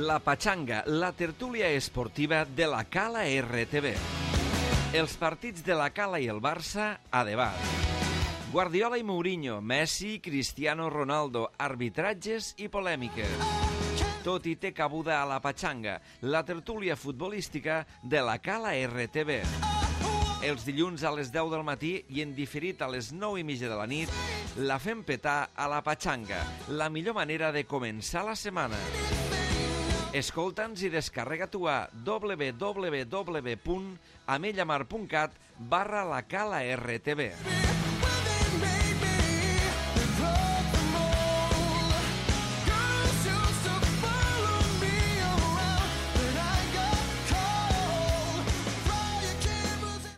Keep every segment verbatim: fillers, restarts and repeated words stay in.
La Pachanga, la tertúlia esportiva de la Cala R T V. Els partits de la Cala i el Barça a debat. Guardiola i Mourinho, Messi, Cristiano Ronaldo, arbitratges i polèmiques. Tot i té cabuda a la Pachanga, la tertúlia futbolística de la Cala R T V. Els dilluns a les deu del matí i en diferit a les nou i mitja de la nit, la fem petar a la Pachanga, la millor manera de començar la setmana. Escolta'ns i descarrega-t'ho a w w w punt amellamar punt cat barra la Cala R T V.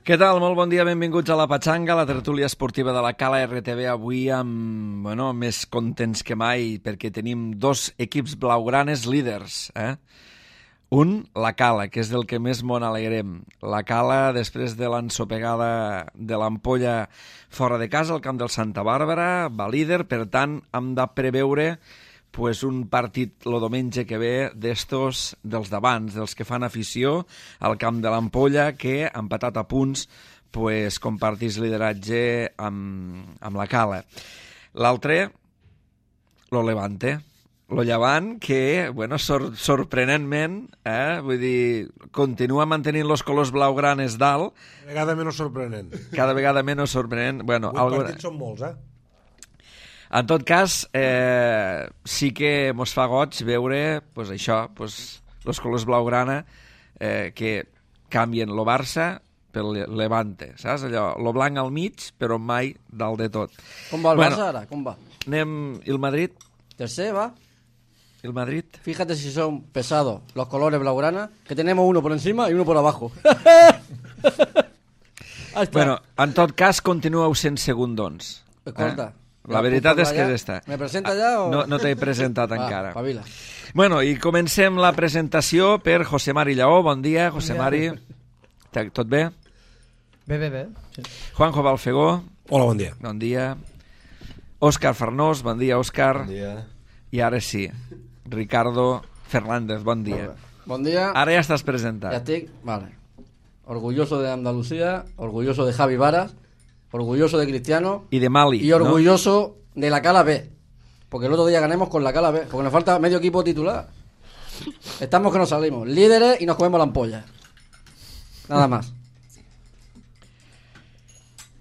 Què tal? Molt bon dia, benvinguts a la Pachanga, la tertúlia esportiva de la Cala R T V. Avui amb, bueno, més contents que mai perquè tenim dos equips blaugranes líders. Eh? Un, la Cala, que és del que més m'on alegrem. La Cala, després de l'ensopegada de l'Ampolla fora de casa, al camp del Santa Bàrbara, va líder, per tant, hem de preveure pues un partit el diumenge que ve d'estos dels d'abans, dels que fan afició al camp de l'Ampolla, que ha empatat a punts, pues, compartís lideratge amb, amb la Cala. L'altre, lo Levante, lo Llevant, que, bueno, sor sorprenentment, eh, vull dir, continua mantenint els colors blaugranes dalt. Cada vegada menys sorprenent. Cada vegada menys sorprenent. Bueno, Vuit algo... partits són molts, eh? En tot cas, eh, sí que mos fa goig veure pues, això, pues, els colors blaugrana eh, que canvien lo Barça pel Levante, saps? Allò, lo blanc al mig, però mai dalt de tot. Com va el bueno, Barça ara? Com va? Anem... ¿Y el Madrid? Tercer, va. ¿El Madrid? Fíjate si son pesados los colores blaugrana, que tenemos uno por encima y uno por abajo. Bueno, en tot cas, continueu sent segundons. Escolta. Eh? La veritat és que és esta. ¿Me presenta ja o...? No, no t'he presentat Va, encara. pavila. Bueno, i comencem la presentació per José Mari Lleó. Bon dia, José Bon Mari. Tot bé? Bé, bé, bé. Sí. Juanjo Balfegó. Hola, bon dia. Bon dia. Òscar Farnós. Bon dia, Òscar. Bon dia. I ara sí, Ricardo Fernández. Bon dia. Bon dia. Ara ja estàs presentat. Ya estoy, vale. Orgulloso de Andalucía, orgulloso de Javi Varas, orgulloso de Cristiano y de Mali, y orgulloso ¿no? de la Cala B, porque el otro día ganemos con la Cala B, porque nos falta medio equipo titular. Estamos que nos salimos líderes y nos comemos la ampolla. Nada más.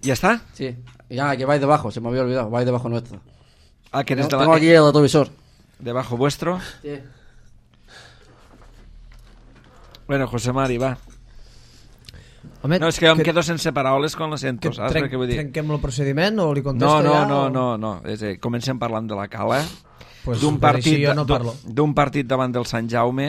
¿Ya está? Sí. Y ya, que vais debajo, se me había olvidado, vais debajo nuestro. Ah, que eres Tengo, de la... tengo aquí el retrovisor. Debajo vuestro. Sí. Bueno, José Mari, va. Home, no, és que em que, quedo sense paraules quan lo sento, saps? Trenc, Què vull dir? trenquem el procediment o li No, contesto no, ja? no, o... no, no. És a dir, comencem parlant de la Cala. Pues, d'un partit, jo no parlo. d'un partit davant del Sant Jaume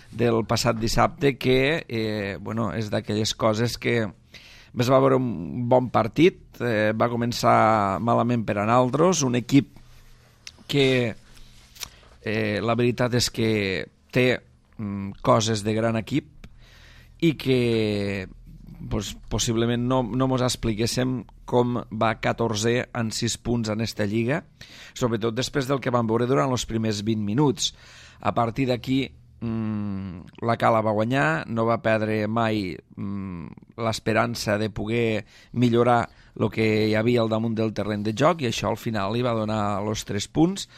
del passat dissabte que, eh, bueno, és d'aquelles coses que es va veure un bon partit, eh, va començar malament per a naltros, un equip que eh, la veritat és que té mm, coses de gran equip i que pues, possiblement no, no mos expliquéssim com va catorze en sis punts en esta lliga, sobretot després del que vam veure durant els primers vint minuts. A partir d'aquí mmm, la Cala va guanyar, no va perdre mai mmm, l'esperança de poder millorar el que hi havia al damunt del terreny de joc, i això al final li va donar els tres punts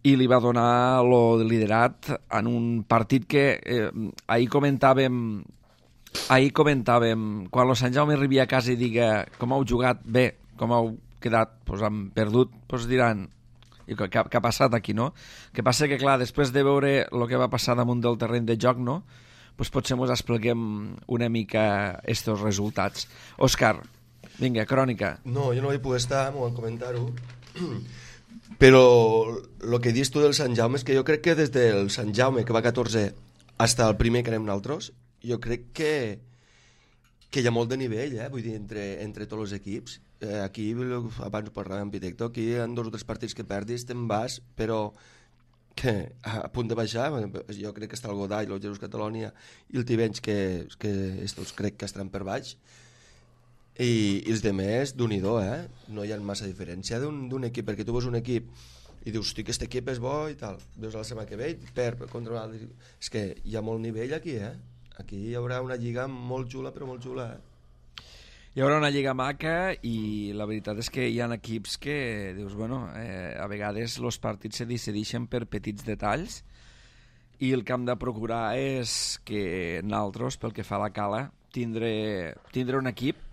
i li va donar el liderat en un partit que eh, ahir comentàvem ahir comentàvem quan el Sant Jaume arribi a casa i diga com heu jugat bé, com heu quedat, pues, han perdut, pues diran i què, què ha passat aquí, no? Que passa que, clar, després de veure el que va passar damunt del terreny de joc, no? Pues potser ens expliquem una mica estos resultats. Òscar, vinga, crònica. No, jo no vaig poder estar, m'ho van comentar-ho, però el que dius tu del Sant Jaume és que jo crec que des del Sant Jaume, que va catorze, fins al primer que anem nosaltres, jo crec que, que hi ha molt de nivell, eh? Vull dir, entre, entre tots els equips. Eh, aquí, abans parlàvem amb Pitecto, aquí hi ha dos o tres partits que perdis, te'n vas, però que a punt de baixar, jo crec que està el Godall, el Jesús Catalònia i el Tivenys, que, que estos crec que estaran per baix, i, i els demés, d'un-i-do, eh? No hi ha massa diferència d'un equip, perquè tu veus un equip i dius, hosti, aquest equip és bo i tal, veus la setmana que ve i perd contra l'altre. És que hi ha molt nivell aquí, eh? Aquí hi haurà una lliga molt xula, però molt xula, eh? Hi haurà una lliga maca i la veritat és que hi ha equips que dius, bueno, eh, a vegades els partits se decideixen per petits detalls i el que hem de procurar és que nosaltres, pel que fa a la Cala, tindre, tindre un equip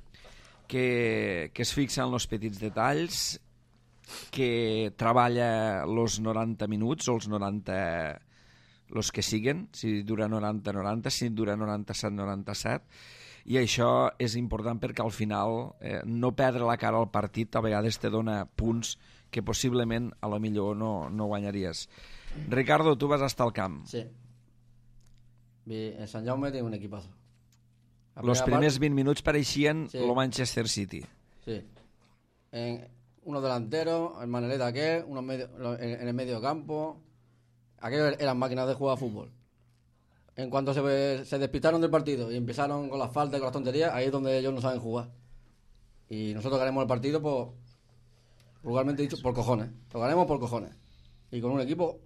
que, que es fixa en els petits detalls, que treballa els noranta minuts o els noranta, els que siguen, si dura noranta noranta, si dura noranta-set noranta-set, i això és important perquè al final eh, no perdre la cara al partit a vegades te dona punts que possiblement a lo millor no, no guanyaries. Ricardo, tu vas estar al camp. Sí. En Sant Jaume té un equipazo. Los primers part... vint minuts pareixien sí. lo Manchester City. Sí. En uno delantero, el Maneleta aquel, uno medio, en, en el medio campo. Aquellos eran máquinas de jugar a fútbol. En cuanto se, se despistaron del partido y empezaron con las faltas y con las tonterías, ahí es donde ellos no saben jugar. Y nosotros ganamos el partido, por, vulgarmente dicho, por cojones. Lo ganamos por cojones. Y con un equipo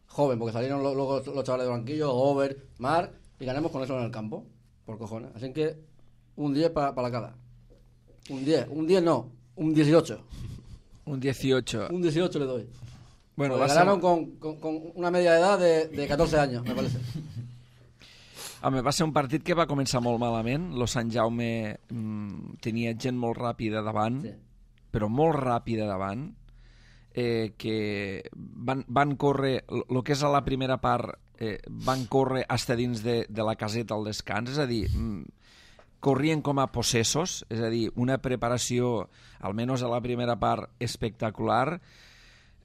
joven, porque salieron luego los, los chavales de banquillo, Over, Mar, y ganamos con eso en el campo, por cojones. Así que un diez para pa la Cala. Un diez, un diez no, un dieciocho. Un dieciocho. Un dieciocho le doy. Bueno, pues ganaron ser... con, con, con una media de edad de, de catorce años, me parece. Home, va ser un partit que va començar molt malament. Lo Sant Jaume mmm, tenia gent molt ràpida davant, sí. però molt ràpida davant, eh, que van, van córrer, el que és a la primera part, eh, van córrer hasta dins de, de la caseta al descans, és a dir, mmm, corrien com a possessos, és a dir, una preparació, almenys a la primera part, espectacular.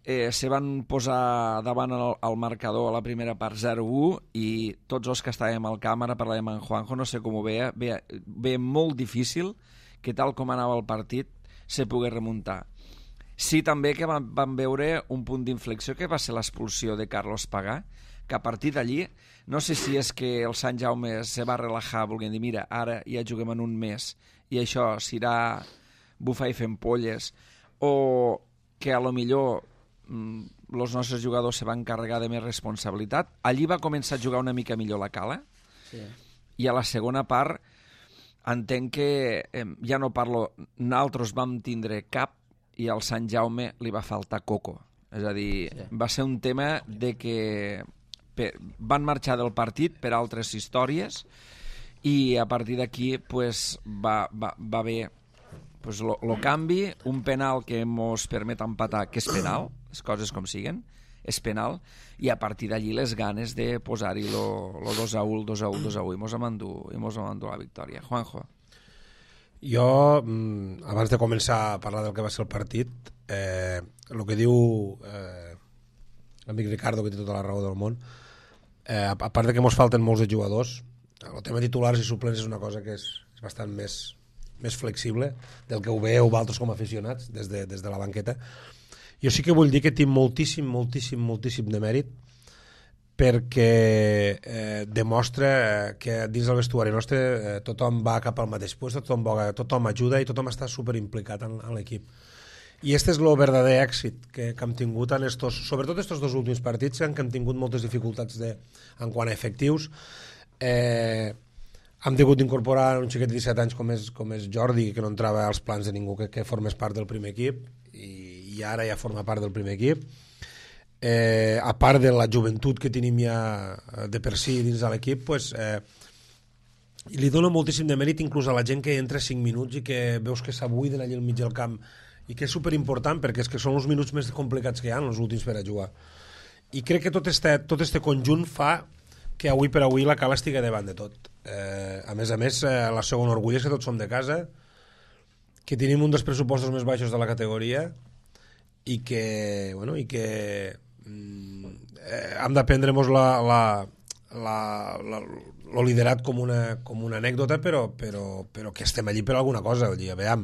Eh, se van posar davant el, el marcador a la primera part zero u i tots els que estàvem al camp, ara parlàvem amb Juanjo, no sé com ho veia, veia, veia molt difícil que tal com anava el partit se pogués remuntar. Sí també que van, van veure un punt d'inflexió que va ser l'expulsió de Carlos Pagà, que a partir d'allí, no sé si és que el Sant Jaume se va relajar volent dir, mira, ara ja juguem en un mes i això s'irà bufar i fent polles, o que a lo millor els nostres jugadors se van carregar de més responsabilitat. Allí va començar a jugar una mica millor la Cala, sí. I a la segona part entenc que eh, ja no parlo, nosaltres vam tindre cap i al Sant Jaume li va faltar coco, és a dir, sí. Va ser un tema de que per, van marxar del partit per altres històries i a partir d'aquí pues, va, va, va haver pues lo, lo canvi, un penal que mos permet empatar, que és penal, les coses com siguen, és penal, i a partir d'allí les ganes de posar-hi lo, lo dos a u, el dos a u, dos a u, i mos hem endut, i mos hem endut la victòria. Juanjo. Jo, abans de començar a parlar del que va ser el partit, eh, el que diu eh, l'amic Ricardo, que té tota la raó del món, eh, a part de que mos falten molts de jugadors, el tema titulars i suplents és una cosa que és, és bastant més més flexible del que ho veieu vosaltres com a aficionats des de, des de la banqueta. Jo sí que vull dir que tinc moltíssim, moltíssim, moltíssim de mèrit perquè eh, demostra que dins del vestuari nostre eh, tothom va cap al mateix lloc, tothom, tothom ajuda i tothom està superimplicat en, en l'equip. I este és el verdader èxit que, que hem tingut en estos, sobretot estos dos últims partits en què hem tingut moltes dificultats de, en quant a efectius. Eh, hem hagut d'incorporar un xiquet de disset anys com és, com és Jordi, que no entrava als plans de ningú que, que formés part del primer equip i, i ara ja forma part del primer equip. Eh, a part de la joventut que tenim ja de per si dins de l'equip, pues, eh, li dona moltíssim de mèrit inclús a la gent que entra cinc minuts i que veus que s'abuiden allà al mig del camp i que és superimportant perquè és que són els minuts més complicats que hi ha els últims per a jugar. I crec que tot este, tot este conjunt fa que avui per avui la Cala estigui davant de tot. Eh, a més a més, eh, la segona orgull és que tots som de casa, que tenim un dels pressupostos més baixos de la categoria i que, bueno, i que mm, eh, hem de prendre-nos la, la, la, la, lo liderat com una, com una anècdota, però, però, però que estem allí per alguna cosa. Allí, veiem,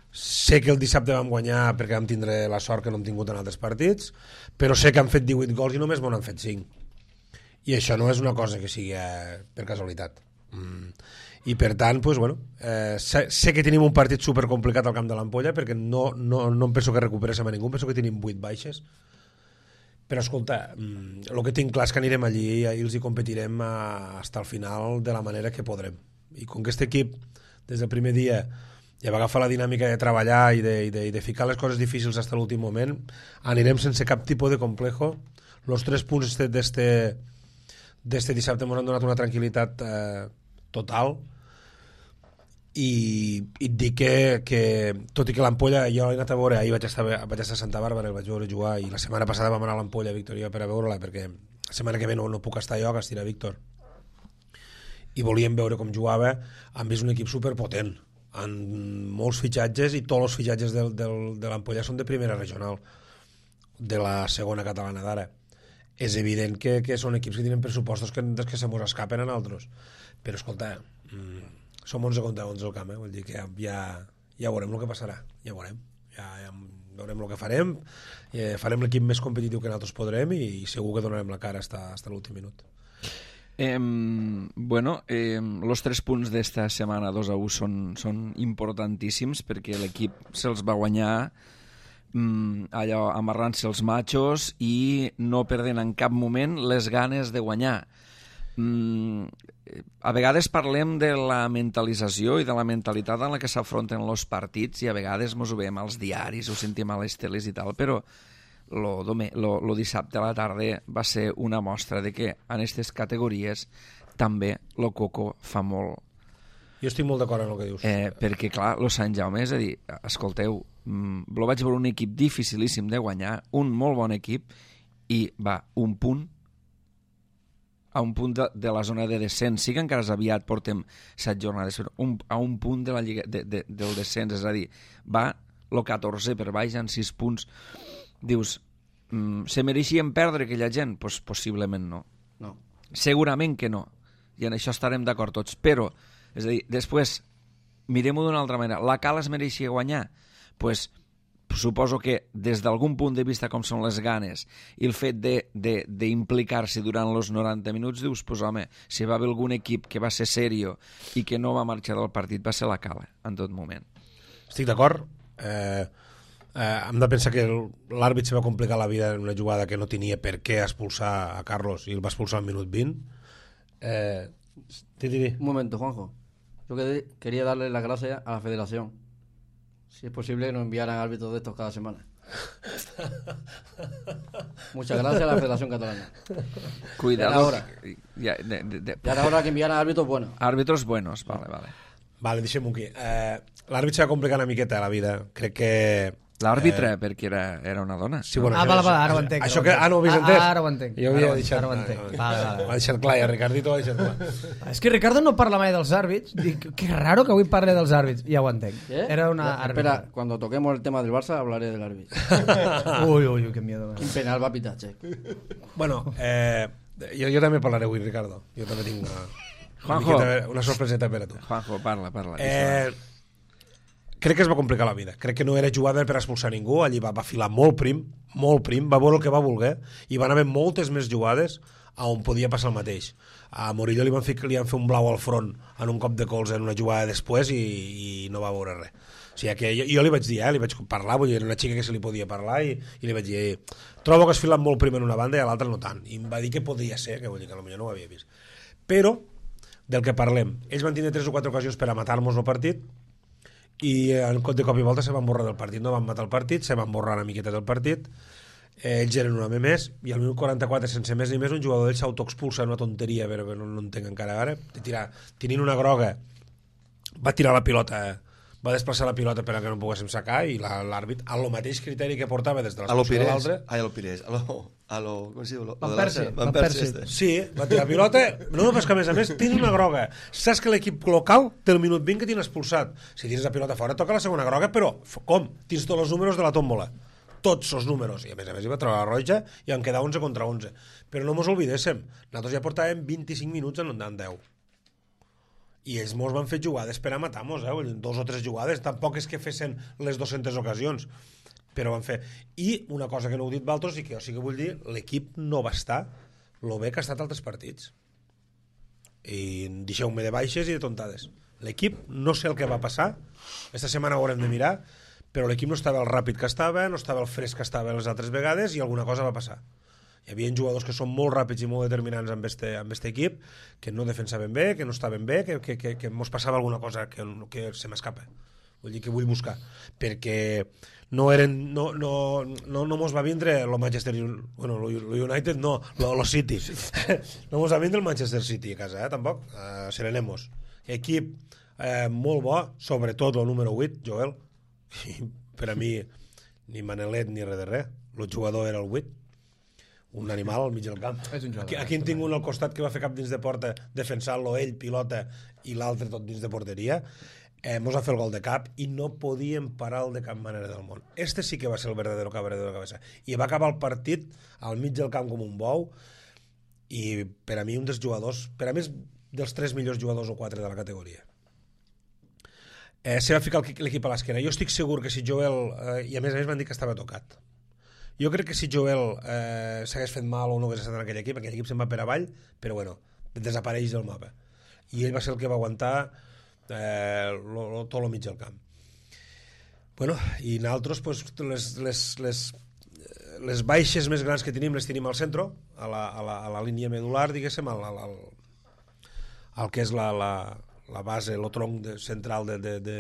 sé que el dissabte vam guanyar perquè vam tindre la sort que no hem tingut en altres partits, però sé que han fet divuit gols i només m'ho han fet cinc. I això no és una cosa que sigui eh, per casualitat. Mm. i per tant, pues, bueno, eh, sé, sé que tenim un partit supercomplicat al camp de l'Ampolla perquè no, no, no em penso que recuperéssim a ningú, penso que tenim vuit baixes, però escolta, el que tinc clar és que anirem allí i els hi competirem a, fins al final de la manera que podrem, i com que aquest equip des del primer dia ja va agafar la dinàmica de treballar i de, i de, i de ficar les coses difícils fins a l'últim moment, anirem sense cap tipus de complejo. Los tres punts d'este d'este dissabte ens han donat una tranquil·litat eh, total. I, i et dic que, que tot i que l'Ampolla jo l'he anat a veure, ahir vaig estar, vaig estar a Santa Bàrbara, el vaig veure jugar, i la setmana passada vam anar a l'Ampolla, Víctor i jo, per a veure-la, perquè la setmana que ve no, no puc estar jo, que estirà Víctor, i volíem veure com jugava. Han vist un equip superpotent amb molts fitxatges, i tots els fitxatges del, del, de l'Ampolla són de primera regional, de la segona catalana d'ara. És evident que, que són equips que tenen pressupostos que, que se mos escapen a nosaltres, però escolta, mmm, som onze contra onze al camp, eh? Vull dir que ja, ja veurem el que passarà, ja veurem, ja, ja veurem el que farem, eh, farem l'equip més competitiu que nosaltres podrem, i, i segur que donarem la cara fins a l'últim minut. Eh, bueno, eh, los tres punts d'esta setmana dos a u són, són importantíssims perquè l'equip se'ls va guanyar mm, allò amarrant-se els matxos i no perdent en cap moment les ganes de guanyar. Mm, a vegades parlem de la mentalització i de la mentalitat en la que s'afronten els partits, i a vegades mos ho veiem als diaris, ho sentim a les teles i tal, però lo, dome, lo, lo dissabte a la tarda va ser una mostra de que en aquestes categories també lo coco fa molt. Jo estic molt d'acord amb el que dius. Eh, perquè, clar, lo Sant Jaume, és a dir, escolteu, mm, lo vaig veure un equip dificilíssim de guanyar, un molt bon equip, i va, un punt a un punt de, de la zona de descens. Sí que encara és aviat, portem set jornades, però un, a un punt de la lliga, de, de, del descens, és a dir, va el catorze per baix en sis punts. Dius, mm, se mereixien perdre aquella gent? Pues possiblement no. No. Segurament que no, i en això estarem d'acord tots, però, és a dir, després, mirem-ho d'una altra manera, la Cala es mereixia guanyar? Pues suposo que des d'algun punt de vista com són les ganes i el fet d'implicar-se durant els noranta minuts, dius, pues home, si va haver algun equip que va ser serio i que no va marxar del partit, va ser la Cala en tot moment. Estic d'acord. Eh, eh, hem de pensar que l'àrbit se va complicar la vida en una jugada que no tenia per què expulsar a Carlos, i el va expulsar al minut vint. Eh, di, di, di. Un momento, Juanjo. Yo que- quería darle las gracias a la federación. Si es posible, nos enviaran árbitros de estos cada semana. Muchas gracias a la Federación Catalana. Cuidado. Ya era hora. Ja, de, de, de, Ya era hora que enviaran árbitros buenos. Árbitros buenos, vale, vale. Vale, deixem-ho aquí. Eh, l'àrbit se va complicar una miqueta la vida. Crec que... L'àrbitre, eh... perquè era, era una dona. Sí, bueno, Ah, això- vale, vale, ara ho això- entenc. Això ara que... ho Ah, no ho havies entenc. entès? Ah, ara ho entenc. Jo havia Ara ho- deixat... ara ho entenc. Vale, Vale, vale. Ho ha deixat clar, i a Ricardito ho ha deixat clar. És que Ricardo no parla mai dels àrbits. Dic, que raro que avui parli dels àrbits. Ja ho entenc. ¿Eh? Era una Ya, àrbitra. espera, cuando toquemos el tema del Barça hablaré del árbitro. Uy, uy, uy, qué miedo. Un penal va a pitar, che. Bueno, eh, jo, jo també parlaré avui, Ricardo. Jo també tinc una, una, Juanjo. miqueta, una sorpreseta per a tu. Juanjo, parla, parla. Eh, crec que es va complicar la vida. Crec que no era jugada per expulsar ningú. Allí va, va filar molt prim, molt prim, va veure el que va voler, i van haver moltes més jugades a on podia passar el mateix. A Morillo li van, fer, li van fer un blau al front en un cop de colze en una jugada després, i, i no va veure res. O sigui que jo, jo li vaig dir, eh, li vaig parlar, vull dir, era una xica que se li podia parlar, i, i li vaig dir, eh, trobo que has filat molt prim en una banda i a l'altra no tant. I em va dir que podia ser, que vull dir que potser no ho havia vist. Però, del que parlem, ells van tenir tres o quatre ocasions per a matar-nos el partit, i en cop de cop i volta se van borrar del partit, no van matar el partit, se van borrar una miqueta del partit, eh, ells eren un home més, i al minut quaranta-quatre, sense més ni més, un jugador d'ells s'autoexpulsa en una tonteria, però que no, no entenc encara ara, de tirar, tenint una groga, va tirar la pilota, va desplaçar la pilota per a que no poguéssim sacar, i la- l'àrbit, a lo mateix criteri que portava des de A lo l'expulsió de Pires. l'altre, Ai, a lo Pires. A lo... A lo... Com es diu? Lo, Van lo de la- Persie, Van Van Persie. Persie. este. sí, va tirar pilota, no, però és que a més a més tens una groga, saps que l'equip local té el minut vint que tens expulsat, si tens la pilota fora toca la segona groga, però f- com? Tens tots els números de la tòmbola, tots els números, i a més a més hi va treure la roja i en quedar onze contra onze, però no mos oblidéssim, nosaltres ja portàvem vint-i-cinc minuts en en deu, i ells mos van fer jugades per a matar-nos, eh? Vull dir, dos o tres jugades, tampoc és que fessin les dues-centes ocasions, però van fer. I una cosa que no heu dit vosaltres, i que jo sí que vull dir, l'equip no va estar lo bé que ha estat altres partits. i deixeu-me de baixes i de tontades. L'equip, no sé el que va passar, esta setmana ho haurem de mirar, però l'equip no estava el ràpid que estava, no estava el fresc que estava les altres vegades i alguna cosa va passar. Hi havia jugadors que són molt ràpids i molt determinants amb este, amb este equip, que no defensaven bé, que no estaven bé, que, que, que, que mos passava alguna cosa que, que se m'escapa. Vull dir que vull buscar. Perquè no eren no, no, no, no mos va vindre el Manchester bueno, el United no, el City. No mos va vindre el Manchester City a casa, eh, tampoc. Uh, Serenemos. Equip eh, molt bo, sobretot el número vuit, Joel. I per a mi, ni Manelet ni res de res. El jugador era el vuit. Un animal al mig del camp. Aquí, aquí en tinc un al costat que va fer cap dins de porta defensant-lo ell, pilota, i l'altre tot dins de porteria. Eh, mos va fer el gol de cap i no podíem parar el de cap manera del món. Este sí que va ser el verdadero cabaret de la cabeza. I va acabar el partit al mig del camp com un bou i per a mi un dels jugadors, per a mi és dels tres millors jugadors o quatre de la categoria. Eh, se va ficar l'equip a l'esquena. Jo estic segur que si Joel, eh, i a més a més m'han dit que estava tocat, jo crec que si Joel eh, s'hagués fet mal o no hagués estat en aquell equip, aquell equip se'n va per avall, però bueno, desapareix del mapa. I ell va ser el que va aguantar eh, lo, lo, tot el mig del camp. Bueno, i nosaltres pues, les, les, les, les baixes més grans que tenim les tenim al centre, a la, a la, a la línia medular, diguéssim, al, al, al, al que és la, la, la base, el tronc de, central de, de, de,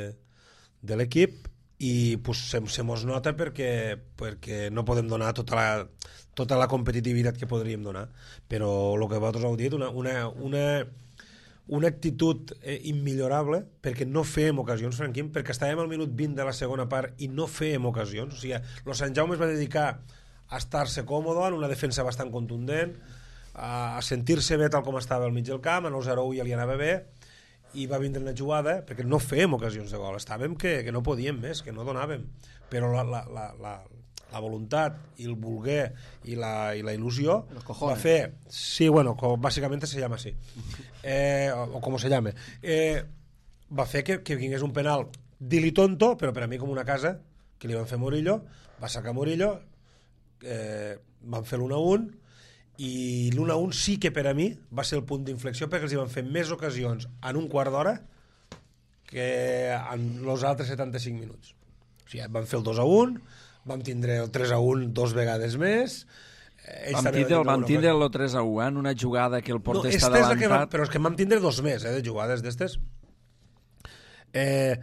de l'equip, i pues, se, se mos nota perquè, perquè no podem donar tota la, tota la competitivitat que podríem donar, però el que vosaltres heu dit, una, una, una, una actitud eh, immillorable, perquè no fèiem ocasions, Franquim, perquè estàvem al minut vint de la segona part i no fèiem ocasions. O sigui, el Sant Jaume es va dedicar a estar-se còmode en una defensa bastant contundent, a, a sentir-se bé tal com estava al mig del camp, a nou zero ja li anava bé, i va vindre una jugada, perquè no fèiem ocasions de gol, estàvem que, que no podíem més, que no donàvem, però la, la, la, la, la voluntat i el voler i la, i la il·lusió va fer, sí, bueno, com, bàsicament se llama així, eh, o, o com se llama, eh, va fer que, que vingués un penal dili tonto, però per a mi com una casa, que li van fer Murillo, va sacar Murillo, eh, van fer l'u a un, i l'u a un sí que per a mi va ser el punt d'inflexió perquè els hi van fer més ocasions en un quart d'hora que en els altres setanta-cinc minuts. O sigui, van fer el dos a un, vam tindre el tres a un dos vegades més. Ells vam tindre, van tindre el tres a un en una jugada que el porter no, està adelantat. Va, però és que vam tindre dos més eh, de jugades d'estes. Eh,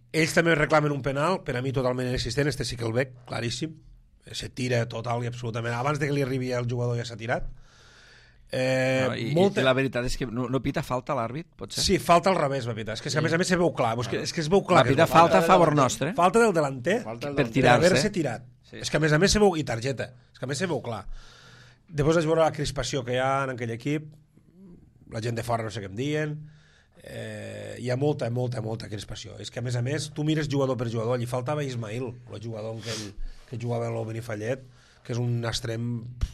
ells també reclamen un penal, per a mi totalment inexistent, este sí que el veig, claríssim. Se tira total i absolutament abans de que li arribi el jugador ja s'ha tirat eh, no, i, molta... i la veritat és que no, no pita falta l'àrbit, potser? Sí, falta al revés va pitar, és que, sí. A més a més se veu clar és que, és que es veu clar va pitar falta a favor nostre, falta del delanter falta per tirar-se, per haver-se tirat sí. És que a més a més se veu, i targeta és que a més se veu clar, després vaig veure la crispació que hi ha en aquell equip, la gent de fora no sé què em diuen, eh, hi ha molta, molta, molta crispació, és que a més a més tu mires jugador per jugador, allí faltava Ismail, el jugador en aquell que jugava a l'Benifallet, que és un extrem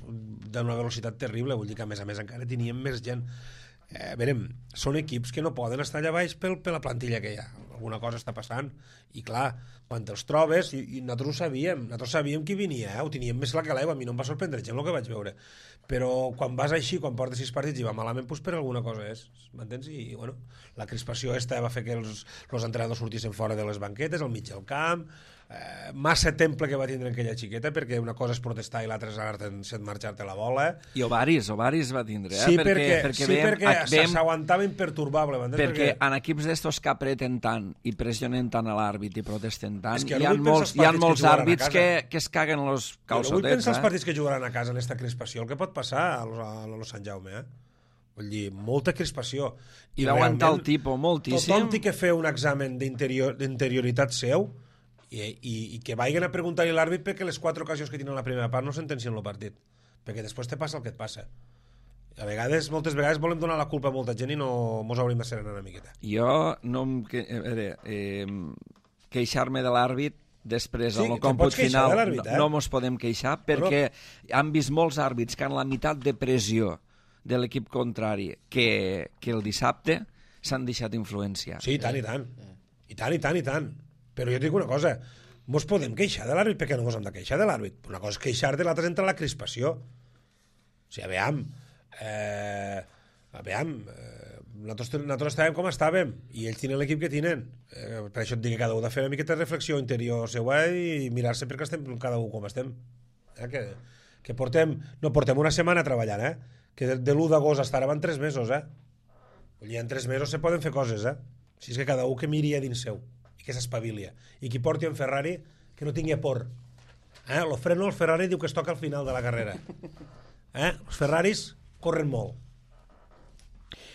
d'una velocitat terrible, vull dir que a més a més encara teníem més gent. Eh, verem, són equips que no poden estar allà baix per, per la plantilla que hi ha. Alguna cosa està passant. I clar, quan te'ls trobes, i, i nosaltres ho sabíem, nosaltres sabíem qui venia, eh? Ho teníem més clar que l'aigua, a mi no em va sorprendre gent el que vaig veure. Però quan vas així, quan portes sis partits i va malament, doncs per alguna cosa és, m'entens? I, bueno, la crispació esta va fer que els, els entrenadors sortissin fora de les banquetes, al mig del camp, eh, massa temple que va tindre aquella xiqueta, perquè una cosa és protestar i l'altra és anar-te'n marxar-te la bola. I ovaris, ovaris va tindre, eh? Sí, perquè, perquè, perquè, sí, veiem, perquè veiem, s'aguantava imperturbable. Perquè, perquè en equips d'estos que apreten tant i pressionen tant a l'àrbit i protesten tant, hi ha molts, hi ha molts àrbits que, que es caguen els calçotets. No vull pensar els partits que jugaran a casa en aquesta crispació, el que pot passar a los, a los Sant Jaume, eh? Vull dir, molta crispació. I d'aguantar el tipus moltíssim. Tothom té que fer un examen d'interioritat seu i, i, i que vagin a preguntar-li a l'àrbit perquè les quatre ocasions que tenen a la primera part no sentencien el partit. Perquè després te passa el que et passa. A vegades, moltes vegades volem donar la culpa a molta gent i no mos hauríem de serenar una miqueta. Jo no em... Que, a veure, eh, queixar-me de l'àrbit després, sí, en el còmput final, eh? no, no mos podem queixar perquè no. Han vist molts àrbits que en la meitat de pressió de l'equip contrari que, que el dissabte s'han deixat influenciar. Sí, i tant, i tant. I tant, i tant, i tant. Però jo et dic una cosa, mos podem queixar de l'àrbit perquè no mos hem de queixar de l'àrbit. Una cosa és queixar-te, l'altra és entrar a la crispació. O sigui, a veure, eh, a veure, eh, nosaltres, nosaltres estàvem com estàvem i ells tenen l'equip que tenen. Eh, per això et dic que cada un ha de fer una miqueta de reflexió interior seva i mirar-se perquè estem cada un com estem. Eh, que, que portem, no portem una setmana treballant, eh? Que de, de l'u d'agost fins ara van tres mesos, eh? Vull dir, en tres mesos se poden fer coses, eh? Si és que cada un que miri a dins seu i que s'espavilia. I qui porti en Ferrari que no tingui por. Eh? Lo freno el Ferrari diu que es toca al final de la carrera. Eh? Els Ferraris corren molt.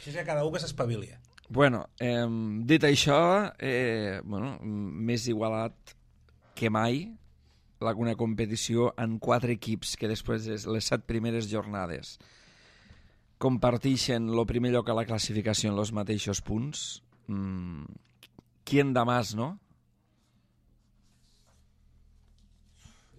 Si és que cada un que s'espavilia. Bueno, eh, dit això, eh, bueno, més igualat que mai una competició en quatre equips que després de les set primeres jornades comparteixen el primer lloc a la classificació en els mateixos punts. Mm, ¿quién da más, no?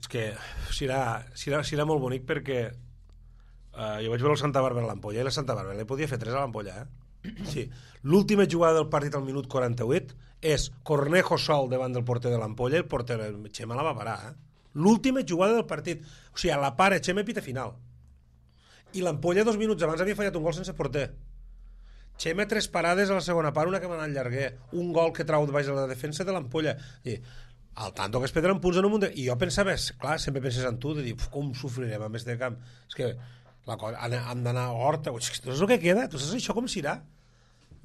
És que serà, serà, serà molt bonic perquè uh, jo vaig veure el Santa Bàrbara a l'Ampolla i la Santa Bàrbara li podia fer tres a l'Ampolla, eh? Sí. L'última jugada del partit al minut quaranta-vuit és Cornejo sol davant del porter de l'Ampolla i el porter el Xema la va parar, eh? L'última jugada del partit, o sigui, a la para Xema pita final i l'Ampolla dos minuts abans havia fallat un gol sense porter. Xema tres parades a la segona part, una que va anar al llarguer, un gol que trau de baix a la defensa de l'Ampolla. I al tanto que es perdran punts en un munt de... I jo pensava, clar, sempre penses en tu, de dir, com sofrirem a més de camp. És que la cosa, hem d'anar a Horta, tu saps el que queda? Tu saps això com serà?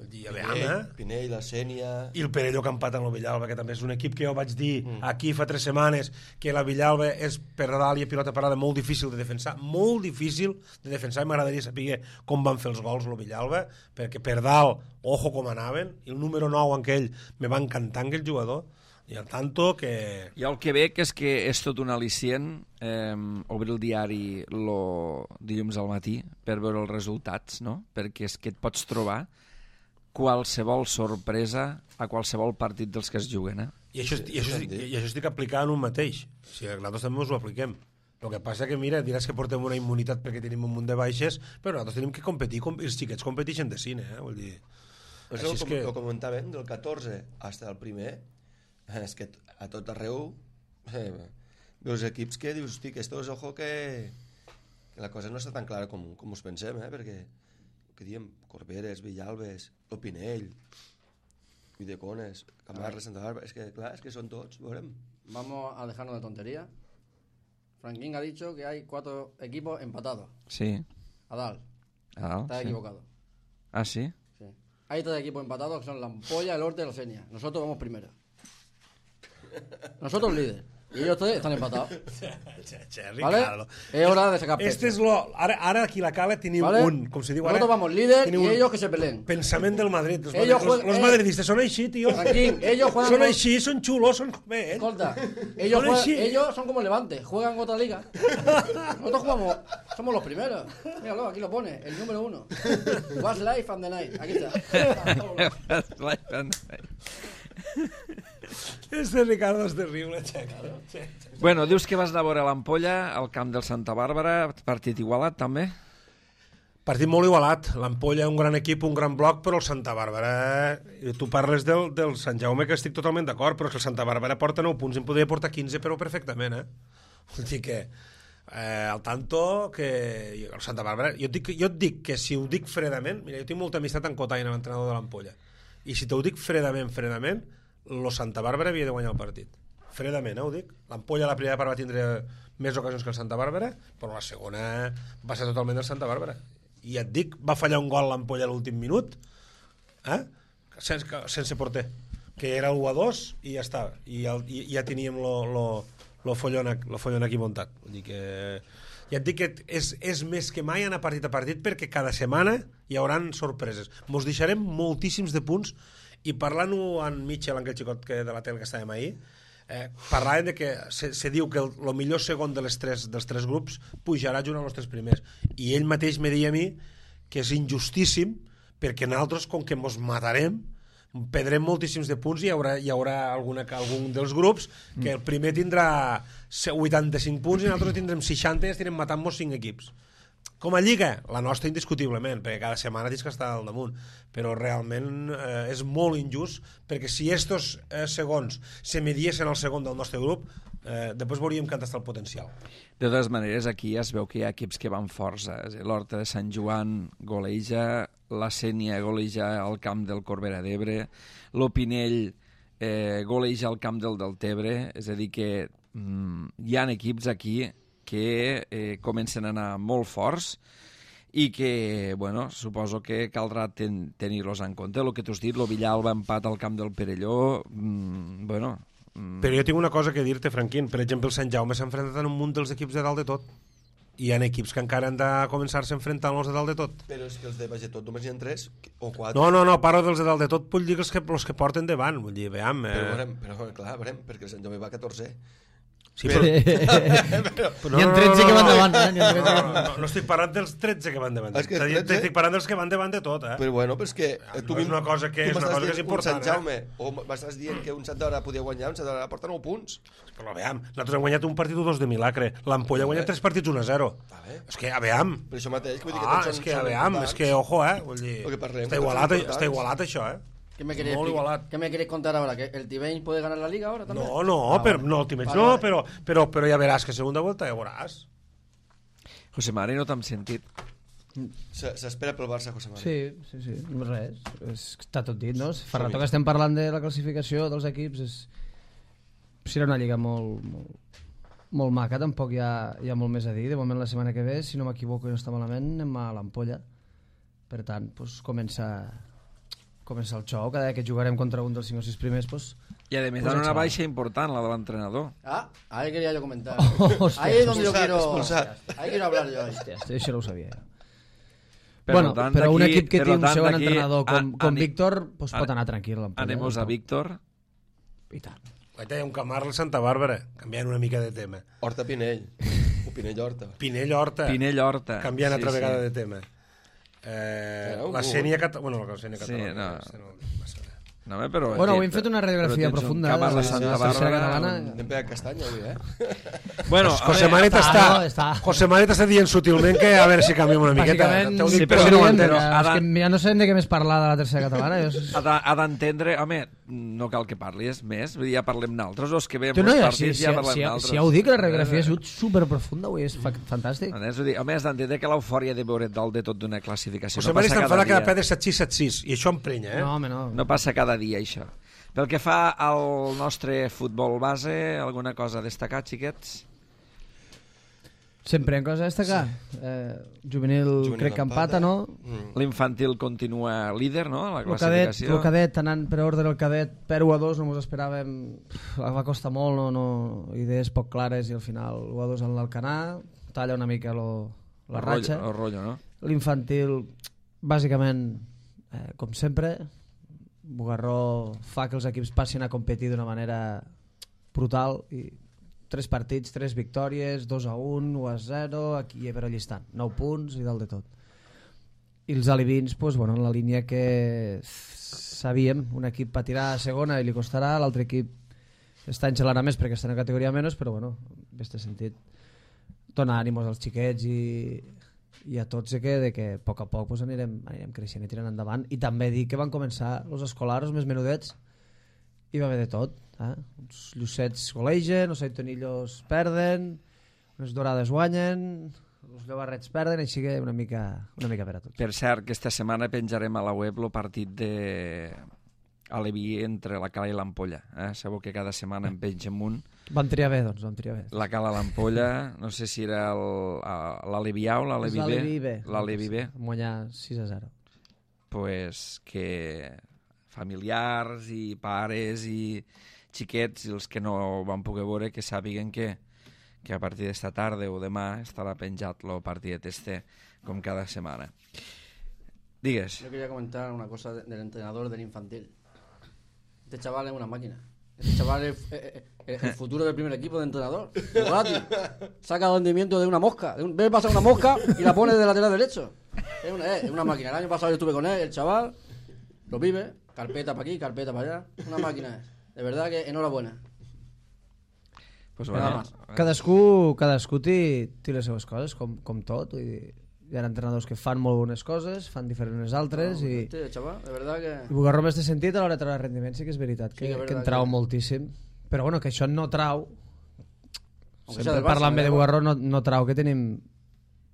I, a veure, Pinell, Pinell, la Sènia... I el Perelló que empata amb el Villalba, que també és un equip que jo vaig dir mm. aquí fa tres setmanes, que la Villalba és per dalt i a pilota parada molt difícil de defensar, molt difícil de defensar, i m'agradaria saber com van fer els gols el Villalba, perquè per dalt, ojo com anaven, i el número nou en aquell me va encantar aquell jugador, i al tanto que... Jo el que veig és que és tot un al·licient eh, obrir el diari lo dilluns al matí per veure els resultats, no? Perquè és que et pots trobar qualsevol sorpresa a qualsevol partit dels que es juguen, eh? I això, i això, i això estic aplicant un mateix. O sigui, nosaltres també us ho apliquem. El que passa que, mira, diràs que portem una immunitat perquè tenim un munt de baixes, però nosaltres tenim que competir, com, els xiquets competeixen de cine, eh? Vull dir... Pues el, és que... Ho comentàvem, del catorze fins al primer, és que a tot arreu eh, veus equips que dius, hosti, que estos, ojo, que, que la cosa no està tan clara com, com us pensem, eh? Perquè que diem, Corberes, Villalbes, Opinell, Videcones, Camarra, Santa Bàrbara, es que clar, es que son todos, veurem. Vamos a dejarnos de tontería. Franklin ha dicho que hay cuatro equipos empatados. Sí. Adal. Adal, Está sí. equivocado. Ah, ¿sí? Sí. Hay tres equipos empatados que son la Ampolla, el Horta y la Senia. Nosotros vamos primero. Nosotros líder. Y ellos tres están empatados. ¿Vale? Es hora de sacar pecho. Este es lo... Ara, ara aquí la cala tenim ¿Vale? un, com se diu ara... Nosotros vamos líder y un ellos que se peleen. Pensament del Madrid. Los, Ellos madrid, juegan- los, los eh, madridistes són així, tio. Tranquil, ellos juegan... Són con- així, són xulos, són com ells. Escolta, ellos, Son juegan- así. ellos son como Levante, juegan otra liga. Nosotros jugamos, somos los primeros. Míralo, aquí lo pone, el número uno. What's life and the night. Aquí está. Este Ricardo és terrible, xeca. Bueno, dius que vas anar a veure l'Ampolla al camp del Santa Bàrbara, partit igualat també? Partit molt igualat. L'Ampolla, un gran equip, un gran bloc, però el Santa Bàrbara... Eh, tu parles del, del Sant Jaume, que estic totalment d'acord, però que el Santa Bàrbara porta nou punts, en podria portar quinze, però perfectament, eh? Vull dir que... Eh, al tanto que el Santa Bàrbara... Jo et, dic, jo et dic que si ho dic fredament... Mira, jo tinc molta amistat en Cotaina, l'entrenador de l'Ampolla. I si t'ho dic fredament, fredament, lo Santa Bàrbara havia de guanyar el partit. Fredament, eh, ho dic. L'Ampolla la primera part va tindre més ocasions que el Santa Bàrbara, però la segona va ser totalment del Santa Bàrbara. I et dic, va fallar un gol l'Ampolla a l'últim minut, eh? sense, sense porter, que era l'u a dos i ja estava. I, el, i ja teníem lo, lo, lo, follon, lo follon aquí muntat. Vull dir que... Ja et dic que és, és més que mai anar partit a partit perquè cada setmana hi hauran sorpreses. Mos deixarem moltíssims de punts i parlant-ho amb Mitchell, amb aquell xicot que, de la tele que estàvem ahir, eh, parlàvem de que se, se diu que el, el millor segon de les tres, dels tres grups pujarà junt als tres primers. I ell mateix me deia a mi que és injustíssim perquè nosaltres, com que mos matarem, perdrem moltíssims de punts i hi haurà, hi haurà alguna, algun dels grups que el primer tindrà vuitanta-cinc punts i nosaltres tindrem seixanta i estirem matant-nos cinc equips. Com a lliga, la nostra indiscutiblement, perquè cada setmana tens que estar al damunt, però realment eh, és molt injust perquè si estos eh, segons se mediessin al segon del nostre grup, Eh, després veuríem que està el potencial. De totes maneres, aquí es veu que hi ha equips que van força. L'Horta de Sant Joan goleja, la Sénia goleja al camp del Corbera d'Ebre, l'Opinell eh, goleja al camp del Deltebre, és a dir que mm, hi ha equips aquí que eh, comencen a anar molt forts i que, bueno, suposo que caldrà ten tenir-los en compte. El que tu has dit, el Villalba empat al camp del Perelló, mm, bueno... Mm. Però jo tinc una cosa que dir-te, Franquín. Per exemple, el Sant Jaume s'ha enfrontat en un munt dels equips de dalt de tot. I hi ha equips que encara han de començar-se a enfrontar amb els de dalt de tot. Però és que els de baix de tot només hi ha tres o quatre. No, no, no, parlo dels de dalt de tot, vull dir els que, els que porten davant. Vull dir, veiem... Eh... Però, veurem, però clar, veurem, perquè el Sant Jaume va a catorze. Sí, però... però... N'hi ha tretze que van davant, eh? No, no, no, no, no estic parlant dels tretze que van davant. És que tretze... Estic parlant dels que van davant de tot, eh? Però bueno, però és que... No, tu és una cosa que és, una cosa que és important, un Sant Jaume, eh? O m'estàs dient que un Sant d'Hora podia guanyar, un Sant d'Hora porta nou punts. Però veiem, nosaltres hem guanyat un partit o dos de Milagre, l'Ampolla ha guanyat tres partits un a zero. És que, veiem... Per això mateix, que vull dir que ah, tots són... és que, veiem, és que, ojo, eh? Vull dir, està igualat, està igualat això, eh? ¿Qué me, queréis ¿Qué me queréis contar ahora? ¿Que el Tibén puede ganar la Liga ahora también? No, no, ah, pero, vale. no, Tibén, vale, no, vale. pero, pero, pero ya verás que segunda vuelta ya verás. José Mari, no t'hem sentit. S'espera pel Barça, José Mari. Sí, sí, sí, no res. Està tot dit, no? Fa rato que estem parlant de la classificació dels equips. És... Serà una lliga molt, molt, molt maca, tampoc hi ha, hi ha molt més a dir. De moment la setmana que ve, si no m'equivoco i no està malament, anem a l'Ampolla. Per tant, pues, comença... comença el xou, cada que jugarem contra un dels cinc o sis primers, pues... I a més, dan una baixa important, la de l'entrenador. Ah, ahí quería yo comentar. Oh, hostia, ahí es donde yo quiero... Expulsat. Ahí quiero hablar yo. Hòstia, això no ho sabia. Per bueno, tant, però un equip que té un tant, segon entrenador com, com ani, Víctor, pues, pot anar tranquil. Anem-nos a Víctor. I tant. Ahí hi ha un Camarles Santa Bàrbara, canviant una mica de tema. Horta Pinell. O Pinell Horta. Pinell Horta. Pinell Horta. Canviant sí, altra sí. vegada de tema. Eh, la Sènia Catalana... Bueno, la Sènia Catalana... Sí, no. no No, però, bueno, avui hem fet una radiografia profunda de la Santa Bàrbara catalana. Anem pegat castanya avui, eh? Bueno, José Marit està, no, està... José Marit està dient sutilment que a veure si canviem una miqueta. Sí, però si no ho entens. Ja no sabem de què més parlar de la tercera catalana. Ha d'entendre... Home, no cal que parlis més, ja parlem naltres, o és que veiem no, els ja, partits sí, ja sí, parlem sí, naltres. Si ja ho dic, la radiografia ha sigut superprofunda avui, és fantàstic. Home, has d'entendre que l'eufòria de veure dalt de tot d'una classificació José Marit està enfadat cada pedra set sis set sis, i això emprenya, eh? No, home, no. No passa cada dia, això. Pel que fa al nostre futbol base, alguna cosa a destacar, xiquets? Sempre en cosa a destacar. Sí. Eh, juvenil, juvenil crec que empata, no? Mm. L'infantil continua líder, no?, a la classificació. El cadet, anant per ordre el cadet, per u a dos, no mos esperàvem, va costar molt, no, no, idees poc clares, i al final u a dos en l'Alcanar, talla una mica lo, la el ratxa. Rotllo, el rotllo, no? L'infantil, bàsicament, eh, com sempre, Bugarró fa que els equips passin a competir d'una manera brutal, i tres partits, tres victòries, dos a un, u a zero, aquí però llistant, nou punts i dalt de tot. I els alivins, pues, bueno, en la línia que sabíem, un equip patirà a segona i li costarà, l'altre equip està enxelant més perquè està en categoria menys, però bueno, en aquest sentit dona ànimos als xiquets i i a tots de que, de que a poc a poc pues, anirem, anirem creixent i tirant endavant. I també dir que van començar els escolars més menudets i va haver de tot, eh? Uns llucets golegen, els aitonillos perden, unes dorades guanyen, els llobarrets perden, així que una mica, una mica per a tots. Per cert, que esta setmana penjarem a la web el partit de Aleví entre la Cala i l'Ampolla, eh? Sabeu que cada setmana en pengem un. Vam triar bé, doncs, vam triar bé. La Cala i l'Ampolla, no sé si era l'Aleví A o l'Aleví B. L'Aleví B. Vam guanyar sis a zero. Pues que familiars i pares i xiquets, i els que no van poder veure, que sàpiguen que, que a partir d'esta tarda o demà estarà penjat el partidet este, com cada setmana. Digues. Yo quería comentar una cosa del entrenador del infantil. Este chaval es una máquina. Este chaval es el, el, el futuro del primer equipo de entrenador. Bugatti. Saca rendimiento de una mosca. De un, ve pasar una mosca y la pone de lateral derecho. Es una, es una máquina. El año pasado yo estuve con él, el chaval lo vive. Carpeta para aquí, carpeta para allá. Una máquina es. De verdad que enhorabuena. Pues bueno, cadascú, cadascú té, té les seves coses, com, com tot. Vull dir, hi ha entrenadors que fan molt bones coses, fan diferents altres, no, i, este, chaval, de verdad que... i Bugarró m'has sentit a l'hora de treure rendiment, sí que és veritat, que, sí, que, que en trau que... moltíssim, però bueno, que això no trau sempre parlant bé de Bugarró no, no trau que tenim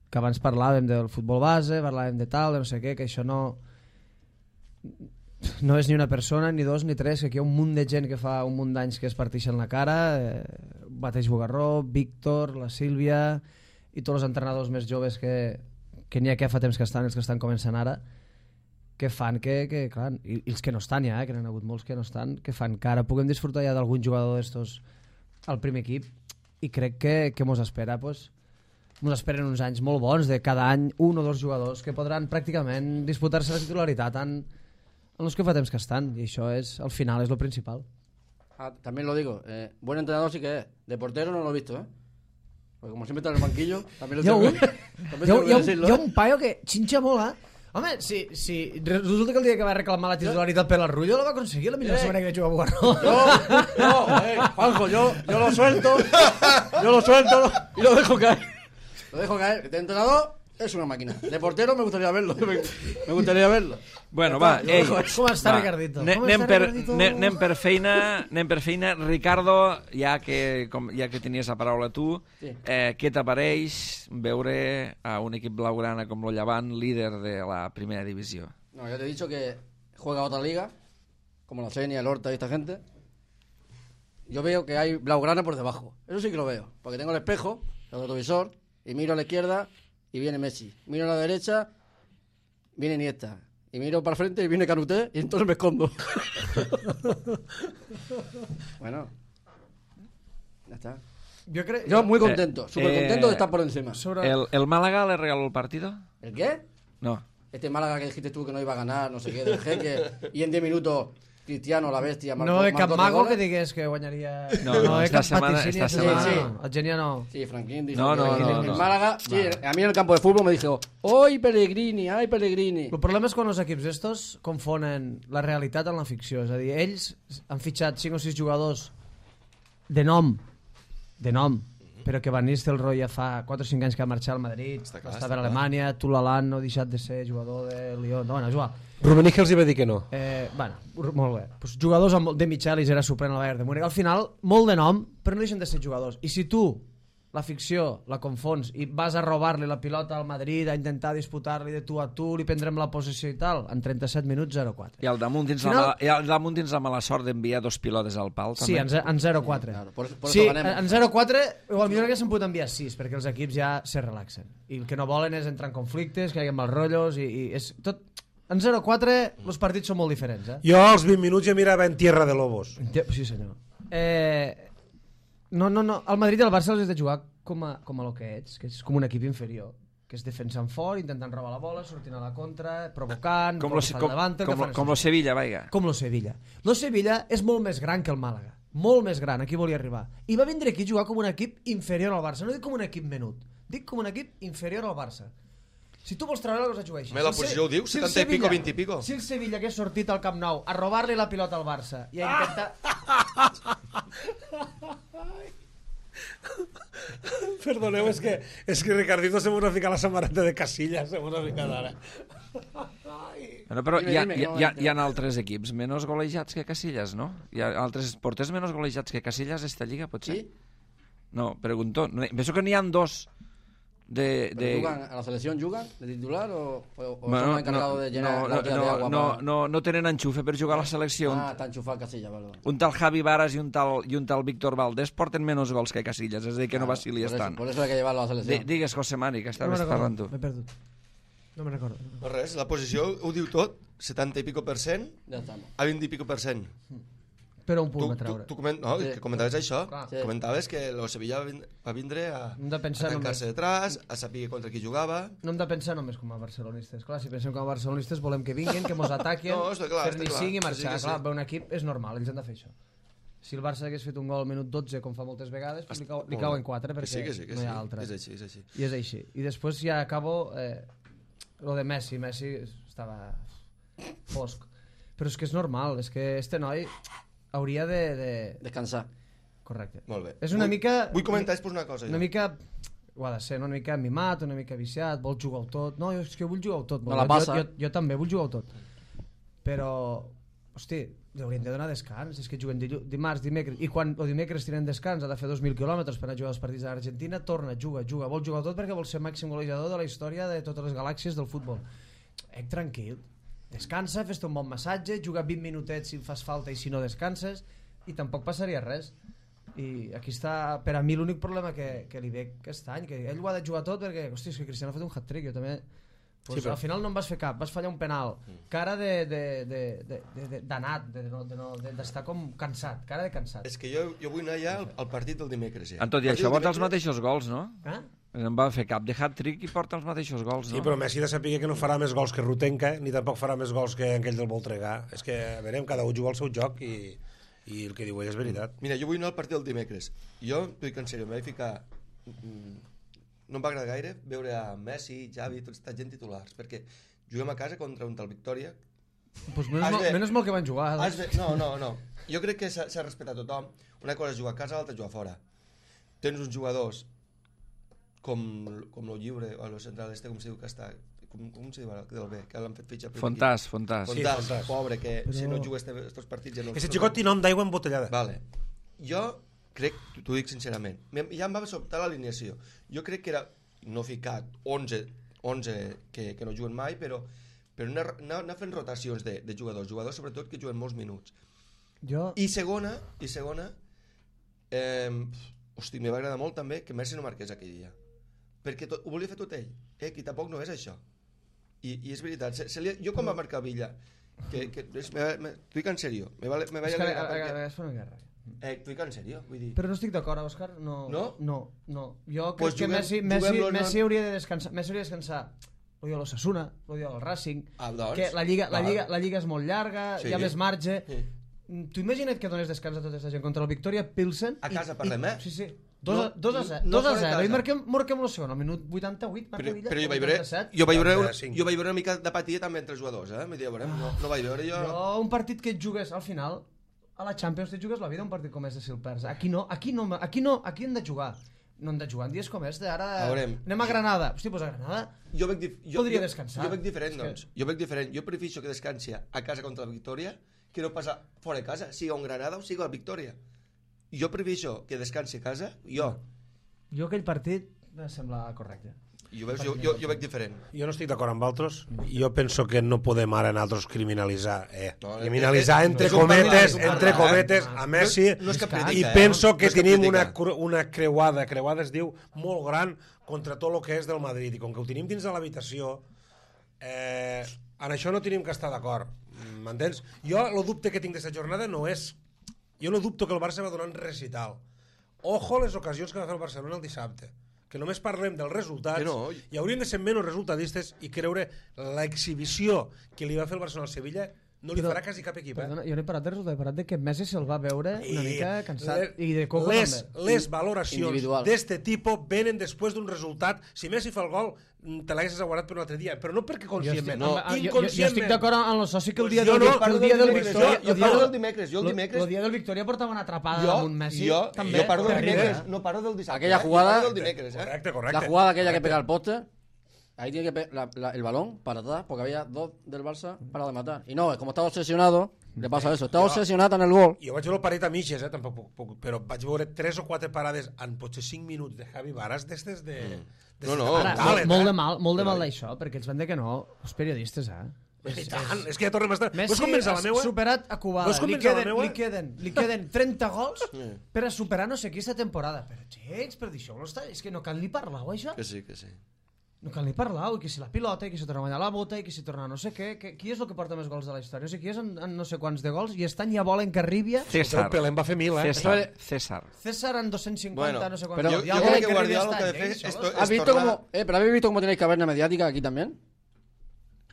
que abans parlàvem del futbol base, parlàvem de tal, de no sé què, que això no no és ni una persona, ni dos, ni tres, que aquí hi ha un munt de gent que fa un munt d'anys que es parteixen la cara, eh, Bateix Bugarró, Víctor, la Sílvia i tots els entrenadors més joves que, que n'hi ha que fa temps que estan, els que estan començant ara, que fan que, que clar, i, i els que no estan ja, eh, que n'hi ha hagut molts que no estan, que fan que ara puguem disfrutar ja d'algun jugador d'estos al primer equip, i crec que, que mos espera, pues, mos esperen uns anys molt bons, de cada any un o dos jugadors que podran pràcticament disputar-se la titularitat en, en els que fa temps que estan, i això és, al final és lo principal. Ah, también lo digo, eh, buen entrenador sí que es, de portero no lo he visto, ¿eh? Porque como siempre está en el banquillo, también lo tengo que, también tengo que decirlo. Hi ha un paio que xinxa molt, eh? Home, si, si resulta que el dia que va reclamar la titularitat per la Rullo la va aconseguir la millor Eh. setmana que jugar a Bugarró. Yo, yo, eh, Juanjo, yo, yo lo suelto, yo lo suelto y lo dejo caer. Lo dejo caer. De entrenador es una máquina. De portero me gustaría verlo. Me, me gustaría verlo. Bueno, va, ei, Com està, va, Ricardito? ne- Com Anem està, per, Ricardito? ne- anem per feina, anem per feina. Ricardo, ja que, com, ja que tenies la paraula tu, Sí. eh, què t'apareix veure a un equip blaugrana com lo Llevant, líder de la primera divisió? No, ya te he dicho que juega otra liga, como la Senia, el Horta y esta gente. Yo veo que hay blaugrana por debajo. Eso sí que lo veo. Porque tengo el espejo, el retrovisor, y miro a la izquierda y viene Messi. Miro a la derecha, viene Iniesta. Y miro para el frente y viene Canuté y entonces me escondo. Bueno, ya está. Jo crec... Yo muy contento, súper contento eh, de estar por encima. Sobre... El, el Málaga le regaló el partido? ¿El qué? No. Este Málaga que dijiste tú que no iba a ganar, no sé qué, del jeque, y en diez minutos Cristiano, la bestia, marcó, No de cap marcó tres mago goles. que digués que guanyaria... No, no, de esta cap setmana- vaticini, esta setmana setmana- no. El Genia no. Sí, Franklin dice No, que no, el, no, el no. Málaga, sí, a mí en el campo de fútbol me dijo, ¡ay, Pellegrini, ay, Pellegrini! El problema és quan els equips estos confonen la realitat amb la ficció. És a dir, ells han fitxat cinc o sis jugadors de nom, de nom, però que Van Nistelrooy ja fa quatre o cinc anys que va marxar al Madrid, Està clar, està està per clar. Alemanya, Tulalan no ha deixat de ser jugador de Lyon, no, bueno, és igual. Rummenigge els hi va dir que no. Eh, bueno, molt bé. Pues jugadors amb, de Michelis era suplent al Bayern de Múnich. Al final, molt de nom, però no deixen de ser jugadors. I si tu la ficció la confons i vas a robar-li la pilota al Madrid, a intentar disputar-li de tu a tu, li prendrem la possessió i tal, en trenta-set minuts zero quatre. I al damunt tens, Final- la, mala, i al damunt tens la mala sort d'enviar dos pilotes al pal, Sí, també. en, ze- en zero quatre. Claro, por, por Sí, eso ganemos. en zero quatre, o millor haguessin pogut enviar sis, perquè els equips ja se relaxen. I el que no volen és entrar en conflictes, que hi hagi mals rotllos, i, i és tot... En zero quatre, els partits són molt diferents, eh? Jo als vint minuts ja mirava en Tierra de Lobos. Enti- Sí, senyor. Eh, no, no, no. El Madrid i el Barça els has de jugar com a, com a lo que ets, que és com un equip inferior, que és defensant fort, intentant robar la bola, sortint a la contra, provocant, Com lo, com, davant, com, lo- com lo Sevilla, vaiga. com lo Sevilla. Lo Sevilla és molt més gran que el Màlaga, molt més gran, aquí volia arribar. I va vindre aquí a jugar com un equip inferior al Barça, no dic com un equip menut, dic com un equip inferior al Barça. Si tu vols treure la cosa, juga així. Me la Si el posició ho diu, si el setanta i pico, Sevilla- vint i pico. Si el Sevilla hagués sortit al Camp Nou a robar-li la pilota al Barça i a intentar... Perdoneu, és que, és que Ricardito se m'ha ficat la samarreta de Casillas, se m'ha ficat ara. Bueno, però Dime, hi ha, dime, hi, que no ha, hi, ha, m'entero. hi ha altres equips menys golejats que Casillas, no? Hi ha altres porters menys golejats que Casillas esta lliga, potser? ¿Sí? No, pregunto. No, penso que n'hi ha dos de... ¿Pero de... jugan, ¿A la selección jugan de titular o, o, o Bueno, son no, encargados de llenar no, la botella no, de agua? no, para- no, no tenen enxufe per jugar a la selecció. Ah, está enchufado Casilla, vale. vale. Un tal Javi Varas i un tal, i un tal Víctor Valdés porten menys gols que Casillas, és a dir, que no Claro, vacili por eso- tant. Por eso hay que llevarlo a la Di- selección. Digues, José Mari, que No estaves me'n parlant recordo, tu. m'he perdut. No me'n recordo. No res, la posició ho diu tot, setanta i pico per cent Ya estamos. a vint i pico per cent. Però un Tu, punt a tu, treure. tu coment, no, Sí. que comentaves això, Clar. Sí. comentaves que el Sevilla va vin- va vindre a, Hem de pensar a tancar-se només. detrás, a saber contra qui jugava. No hem de pensar només com a barcelonistes. Clar, si pensem com a barcelonistes volem que vinguin, que mos ataquen, No, està clar, fer-ne està clar. cinc i Que marxar. sí, que sí. Clar, bé, un equip és normal, ells han de fer això. Si el Barça hagués fet un gol al minut dotze, com fa moltes vegades, pues li, cau, li cauen quatre, Que perquè sí, que sí, que no hi sí. ha altre. És així, és així. I és així. I després ja acabo eh, lo de Messi. Messi estava fosc. Però és que és normal, és que este noi hauria de... de... Descansar. Correcte. Molt bé. És una vull, mica... Vull comentar després una cosa. Una jo. mica... Ho ha de ser, no? Una mica mimat, una mica viciat, vol jugar-ho tot. No, jo, és que vull jugar-ho tot. No la jo, passa. jo, jo, jo també vull jugar-ho tot. Però, hosti, Haurien de donar descans, és que juguen dimarts, dimecres, i quan o dimecres tenen descans, ha de fer dos mil quilòmetres per anar a jugar els partits de l'Argentina, torna, juga, juga, vol jugar tot perquè vol ser màxim golejador de la història de totes les galàxies del futbol. Ec, tranquil, descansa, fes-te un bon massatge, juga vint minutets si fas falta i si no descanses, i tampoc passaria res. I aquí està, per a mi, l'únic problema que, que li ve aquest any, que ell ho ha de jugar tot perquè, hosti, és que Cristiano ha fet un hat-trick, jo també... Pues sí, però... al final no en vas fer cap, vas fallar un penal, cara de, de, de, de, de, d'anat, de, de, de, de, d'estar com cansat, cara de cansat. És que jo, jo vull anar ja al, al partit del dimecres. Ja. En tot i això porta els mateixos gols, no? Eh? No va fer cap de hat-trick i porta els mateixos gols, no? Sí, però Messi de saber que no farà més gols que Rutenka, ni tampoc farà més gols que aquell del Voltregà. És que, a veure, cada un juga el seu joc i, i el que diu ell és veritat. Mira, jo vull anar al partit del dimecres. Jo, t'ho dic en sèrio, em vaig ficar... No em va agradar gaire veure a Messi, Xavi, tota aquesta gent titulars, perquè juguem a casa contra un tal Victòria. Pues menys, mal, menys mal que van jugar. De, no, no, no. Jo crec que s'ha respetat tothom. Una cosa és jugar a casa, l'altra jugar fora. Tens uns jugadors com, com el lliure, o el central este, com se diu que està... Com, com se diu ara, del B, que l'han fet fitxar... Fontàs, Fontàs. Fontàs, sí, Fontàs. Pobre, que Però... si no juga estos partits... Ja no Ese xicot té nom d'aigua embotellada. Vale. Jo crec, t'ho dic sincerament, ja em va sobtar l'alineació. Jo crec que era, no ficat onze, onze que, que no juguen mai, però, però anar, anar, anar fent rotacions de, de jugadors, jugadors sobretot que juguen molts minuts. Jo... I segona, i segona, eh, hosti, me va agradar molt també que Messi no marqués aquell dia, perquè tot, ho volia fer tot ell, eh, que tampoc no és això. I, i és veritat, se, se li, jo quan va marcar Villa, que, que és, me, me, t'ho dic en sèrio, me va, me va és que agradar perquè... perquè... És una guerra. Eh, t'ho dic en sèrio, vull dir... Però no estic d'acord, Òscar. No, no? No, no. Jo crec Pues que juguem, Messi, Messi, juguem Messi hauria de descansar. Messi hauria de descansar. Lo dia l'Osasuna, lo dia el Racing. Ah, doncs, que la lliga, la, val. lliga, la lliga és molt llarga, Sí. hi ha més marge. Sí. Tu imagina't que dones descans a tota aquesta gent contra el Victoria Pilsen. A casa i, parlem, i, eh? Sí, sí. dos a No, zero. no dos a fora de zero. I casa. marquem, marquem el segon, al minut vuitanta-vuit. Però, Villa, però jo vaig veure, vuitanta-set. jo vaig veure, una, vuitanta-cinc. jo vaig veure una mica d'apatia també entre els jugadors, eh? Vull dir, veurem, no, no vaig veure jo... Jo, un partit que et jugues al final, a la Champions te jugues la vida un partit com és de si el perds. Aquí no, aquí no, aquí no, aquí hem de jugar. No hem de jugar en dies com este, ara A veurem. anem a Granada. Hosti, pues a Granada Jo veig, dif- jo, podria jo, descansar. Jo veig diferent, És que- doncs. Jo veig diferent. Jo prefereixo que descansi a casa contra la Victòria que no passar fora de casa, sigui a un Granada o sigui a la Victòria. Jo prefereixo que descansi a casa, jo. Jo aquell partit em sembla correcte. Jo, veig, jo, jo, jo veig diferent. Jo no estic d'acord amb altres. Jo penso que no podem ara nosaltres criminalitzar, eh, No, criminalitzar és- entre és un cometes, partit, és un entre partit, cometes eh? a Messi, No- no és que i predica, eh? penso No que és que tenim predica. una, cru- una creuada, creuada es diu, molt gran contra tot el que és del Madrid, i com que ho tenim dins de l'habitació, eh, en això no tenim que estar d'acord, m'entens? Jo el dubte que tinc d'aquesta jornada no és, jo no dubto que el Barça va donar un recital. Ojo les ocasions que va fer el Barcelona el dissabte, que només parlem dels resultats, Que no. i hauríem de ser menys resultadistes i creure l'exhibició que li va fer el Barcelona al Sevilla no li Però- farà quasi cap equip, eh? Perdona, jo no he parat de resultat, he parat de que Messi se'l va veure una I mica cansat. le- I de Coco les, també. les valoracions Individual. d'este tipus venen després d'un resultat. Si Messi fa el gol, mm, te l'haguessis aguardat per un altre dia, però no perquè Jo estic, conscientment. no, No, jo, jo, jo inconscientment. estic d'acord amb el soci que el Pues dia jo del, no, el parlo dia del del dimecres, Victòria... jo- jo el dia parlo del- del dimecres, jo el lo- dimecres- El dia del Victòria portava una atrapada Jo, amb un Messi. jo, també, jo parlo del terrible. dimecres, no parlo del dissabte. Aquella eh? Jo jugada- parlo del dimecres, eh? Correcte, correcte. La jugada aquella que correcte. pega al poste, ahí tiene que pe- la- la- el balón para atrás, porque había dos del Barça para de matar. Y no, como estaba obsesionado, le pasa eso. Estaba obsesionado en el gol. Jo vaig veure el paret a mitges, eh, tampoc puc, puc, però vaig veure tres o quatre parades en potser cinc minuts de Javi Varas d'estes de... No, no. Ara, Mentales, molt, molt de eh? mal, molt de mal d'això, perquè els van dir que no, els periodistes, eh? I tant, és que ja tornem a estar... Messi Vols convèncer la ha meua? superat a Cubada. Vols Li convèncer la queden, meua? li, queden, li queden trenta gols per a superar no sé qui esta temporada. Però, xecs, però d'això no està... És que no cal ni parlar-ho, això. Que sí, que sí. No cal ni parlar, i que si la pilota, i que si torna a guanyar la bota, i que si torna a no sé què, que, qui és el que porta més gols de la història? O sigui, qui és en, en no sé quants de gols, i estan ja volen que arribi a... César. El Pelé en va fer mil, eh? César. César. César en dos-cents cinquanta, Bueno, no sé quants. pero gols. yo- Ja yo volen creo que arribi a Guardiola lo que estar, hace eh, esto- solos. esto- ¿Has visto tornada- cómo, eh, pero habéis visto cómo tenéis caverna mediática aquí también?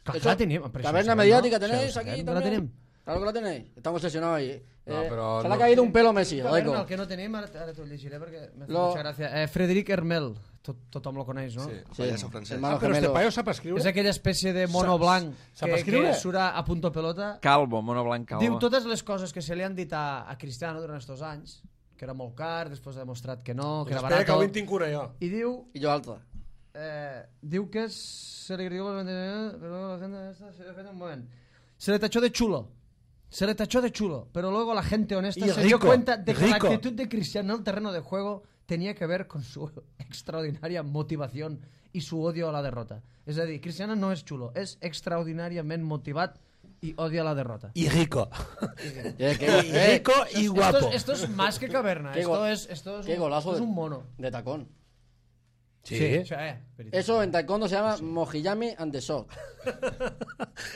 Clar, Eso- la tenim. però això Caverna ho sabem, mediática no? tenéis Això ho aquí sabem, también. La tenim. Claro que la tenéis. Estamos obsesionados ahí. Eh, No, pero se le ha no- caído un pelo a Messi, Caverna, Laico. el que no tenim, ara, ara t'ho llegiré perquè m'ha fet Lo- mucha gràcia. Eh, Frederic Hermel, tot, tothom lo coneix, no? Sí, Sí, pallasso francès. hermano Ah, però este gemelo. paio sap escriure? És aquella espècie de mono Sap- blanc sap que, escriure? que surt a punto pelota. Calvo, mono blanc calvo. Diu totes les coses que se li han dit a, a Cristiano durant estos anys, que era molt car, després ha demostrat que no, que era Espera, que barat. avui en tinc una jo. I diu, Y yo alta. eh, diu que es, se li criticó por el mantenimiento, pero la gente esta se le un moment. Se le tachó de chulo. Se le tachó de chulo, pero luego la gente honesta Y se rico, dio cuenta de que rico. la actitud de Cristiano en el terreno de juego tenía que ver con su extraordinaria motivación y su odio a la derrota. És a dir, Cristiano no és xulo, és extraordinàriament motivat y odia la derrota. Y rico. Eh, que- Y eh, rico y Esto guapo. es, esto es más que caverna, Qué esto go- es, esto es, qué un, golazo esto es de- un mono. de tacón. Sí. O sea, eh, veritat. Eso en taekwondo se llama Mojiyami ante Sok.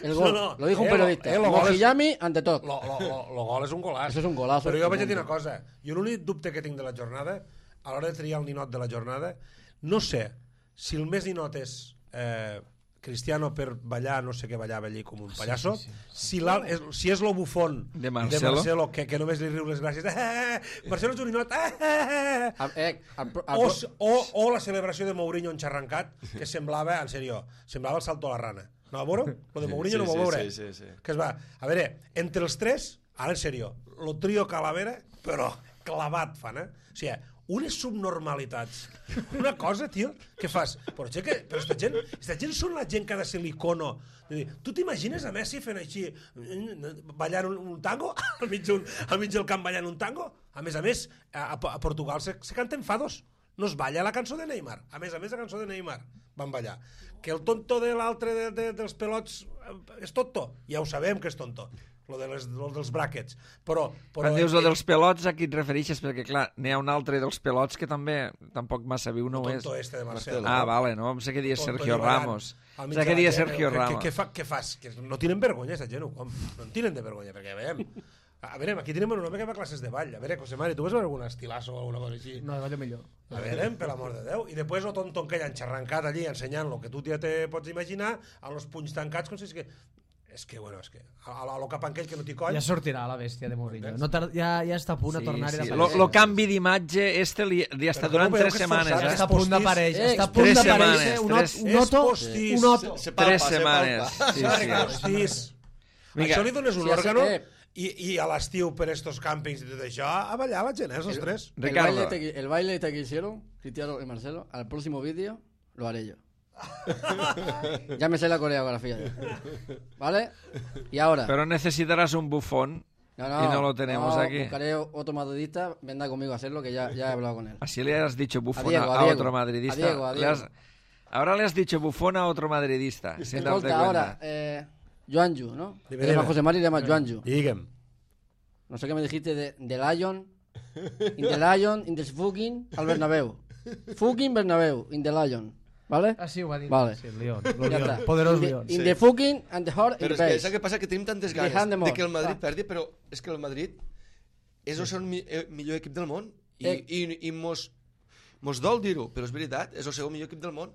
El No, gol. no. Lo dijo un Eh, lo- periodista. eh, lo gol és- Mojiyami ante Tok. Lo, lo, lo, lo gol és un golaç. Això és un golazo. Però jo vaig a dir una cosa. Jo l'únic dubte que tinc de la jornada, a l'hora de triar el ninot de la jornada, no sé si el més ninot és eh, Cristiano per ballar, no sé què ballava allí com un pallasso, sí, sí, sí. Si, l'al- és, si és lo bufón De Marcelo. de Marcelo que, que només li riu les gràcies, eh, eh, Marcelo és un ninot, eh, eh, Ah, eh, al pro- al o, pro- o, o la celebració de Mourinho enxarrancat, que semblava, en sèrio, semblava el salto a la rana. No va veure? Lo de Mourinho Sí, no va sí, veure. sí, sí, sí. Que es va... A veure, entre els tres, ara en sèrio, lo trio Calavera, però clavat fan, eh? O sigui, unes subnormalitats. Una cosa, tio, que fas... Però, che, que, però esta gent, esta gent són la gent que ha de ser l'icono. Tu t'imagines a Messi fent així, ballant un, un tango? Al mig, un, al mig del camp ballant un tango? A més a més, a, a Portugal se, se canten fados. No es balla la cançó de Neymar. A més a més, la cançó de Neymar van ballar. Que el tonto de l'altre de, de, dels pelots eh, és tonto. Ja ho sabem que és tonto. Lo, de les, lo dels brackets. Però, però Quan dius lo dels pelots, a qui et refereixes? Perquè, clar, n'hi ha un altre dels pelots que també tampoc massa viu no ho és. tonto este de Marcelo. Ah, vale, no? Em sé que dies Tonto Sergio i ballant Ramos. al mig Sé de que la dies gent. Sergio Què- Ramos. Què, què, fa, què fas? Que no tienen vergonya, aquesta gent, com? No en tienen de vergonya, perquè veiem. A veure, aquí tenim un home que va a classes de ball. A veure, José Mari, tu vas veure algun estilazo o alguna cosa així? No, ballo millor. A veure, per l'amor de Déu. I després el tonto que ja enxarrancat allí ensenyant el que tu ja te pots imaginar, amb els punys tancats, com si és que... És que, bueno, és que... A, a lo cap aquell que no t'hi coll... Ja sortirà la bèstia de Mourinho. No tar... ja, ja està a punt de tornar-hi sí. d'aparèixer. Lo, lo canvi d'imatge este li, li està Però durant com veieu tres que és setmanes, forçat? eh? Està a punt d'aparèixer. Eh, Està a punt tres d'aparèixer setmanes, un, tres- ot- un oto. postís. Un oto. Se Tres palpa, se setmanes. palpa. Sí, sí. Postís. Vinga. Això li dones un Sí, òrgano sí, eh. i, i a l'estiu per estos càmpings i tot això, a ballar la gent, eh, els tres. El Ricardo. baile, te, el baile te que hicieron, Cristiano y Marcelo, al próximo vídeo lo haré yo. Ya me sé la coreografía. Ya. ¿Vale? Y ahora... Pero necesitarás un bufón y no lo tenemos no, aquí. Buscaré otro madridista, venga conmigo a hacerlo, que ya, ya he hablado con él. Así le has dicho bufón a, Diego, a a Diego. otro madridista. A Diego, a Le Diego. has- ahora le has dicho bufón a otro madridista, sin darte Escolta, cuenta. ahora, eh, Joanju, ¿no? Dime, Se llama dime. José Mari y se llama Joanju. Digue'm. No sé qué me dijiste de, de Lion. In the Lion, in the fucking al Bernabéu. Fucking Bernabéu, in the Lion. ¿Vale? Ah, sí, ho va dir. Vale. Sí, el León. Ya El León. está. Poderós in the, León. in Sí. the fucking and the heart Però in és the que base. saps què passa? Que tenim tantes Dejant ganes de de, mort. que el Madrid Ah. perdi, però és que el Madrid és el seu mi, eh, millor equip del món. I, Eh. i, i mos, mos dol dir-ho, però és veritat, és el seu millor equip del món.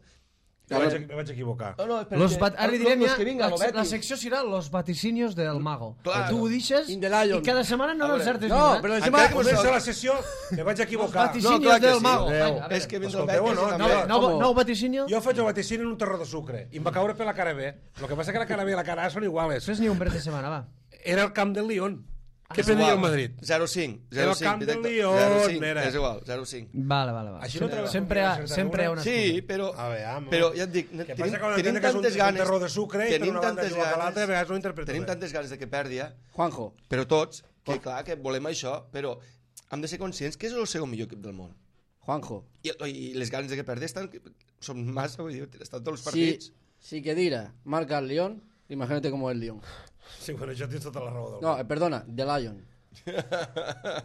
Me vaig, me vaig equivocar. No, no, és Los bat... Ara li direm ja, que vinga, la, lo la Betis. secció serà Los vaticinios del mago. Claro. Tu ho deixes In the Lion. i cada setmana no A veure, l'encertes No, ni però una. encima... Encara que comença la sessió, me vaig Los equivocar. vaticinios No, clar que del sí. mago. Adéu. Vinga, a veure. És que vindrà el Escolteu, Betis no, i no, també... No, Com? nou vaticinio? Jo faig el vaticini en un terró de sucre i em va caure per la cara B. El que passa que la cara B i la cara A són iguales. Fes ni un bret de setmana, va. Era el camp del Lyon. Què És prenia igual. el Madrid? zero cinc. Era el zero cinc, camp del directe. Lyon, zero cinc, era. És igual, zero cinc. Vale, vale, vale. Així no trobes sempre, hi ha, confiança, sempre hi ha una. una Sí, però, A veure, home. però ja et dic, Que tenim, passa que una tenim entén que és un- tantes és un ganes... terror de sucre i per tenim una banda tantes juga a ganes- l'altra, a vegades ho interpreto Tenim bé. tantes ganes de que perdi, eh? Juanjo, però tots, que clar, que volem això, però hem de ser conscients que és el seu millor equip del món. Juanjo. I, i les ganes de que perdi estan, són massa, vull dir, estan tots els Si, partits. si Kedira marca al León, imagínate cómo es el León. Sí, bueno, això tens tota la raó del No, món. eh, perdona, The Lion.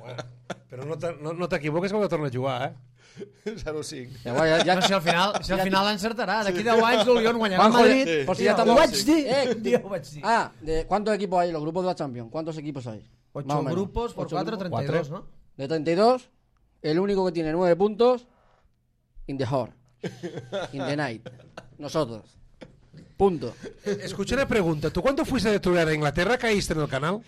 Bueno, però no te- no, no t'equivoques quan torna a jugar, eh? zero cinc. Ya, guay, ya, ya- No, si al final, si al final encertarà. D'aquí deu anys el Lyon guanyarà el Juanjo, Madrid. sí. por si ya Ho estamos... vaig dir. Eh, Un dia ho vaig dir. Ah, de, ¿cuántos equipos hay en los grupos de la Champions? ¿Cuántos equipos hay? Más o Ocho menos. grupos por Ocho cuatro, grupos. treinta y dos, ¿no? De treinta y dos, el único que tiene nueve puntos, in the heart, in the night. Nosotros. Punto. Escucha una pregunta. ¿Tú cuando fuiste de tour a Inglaterra caíste en el canal?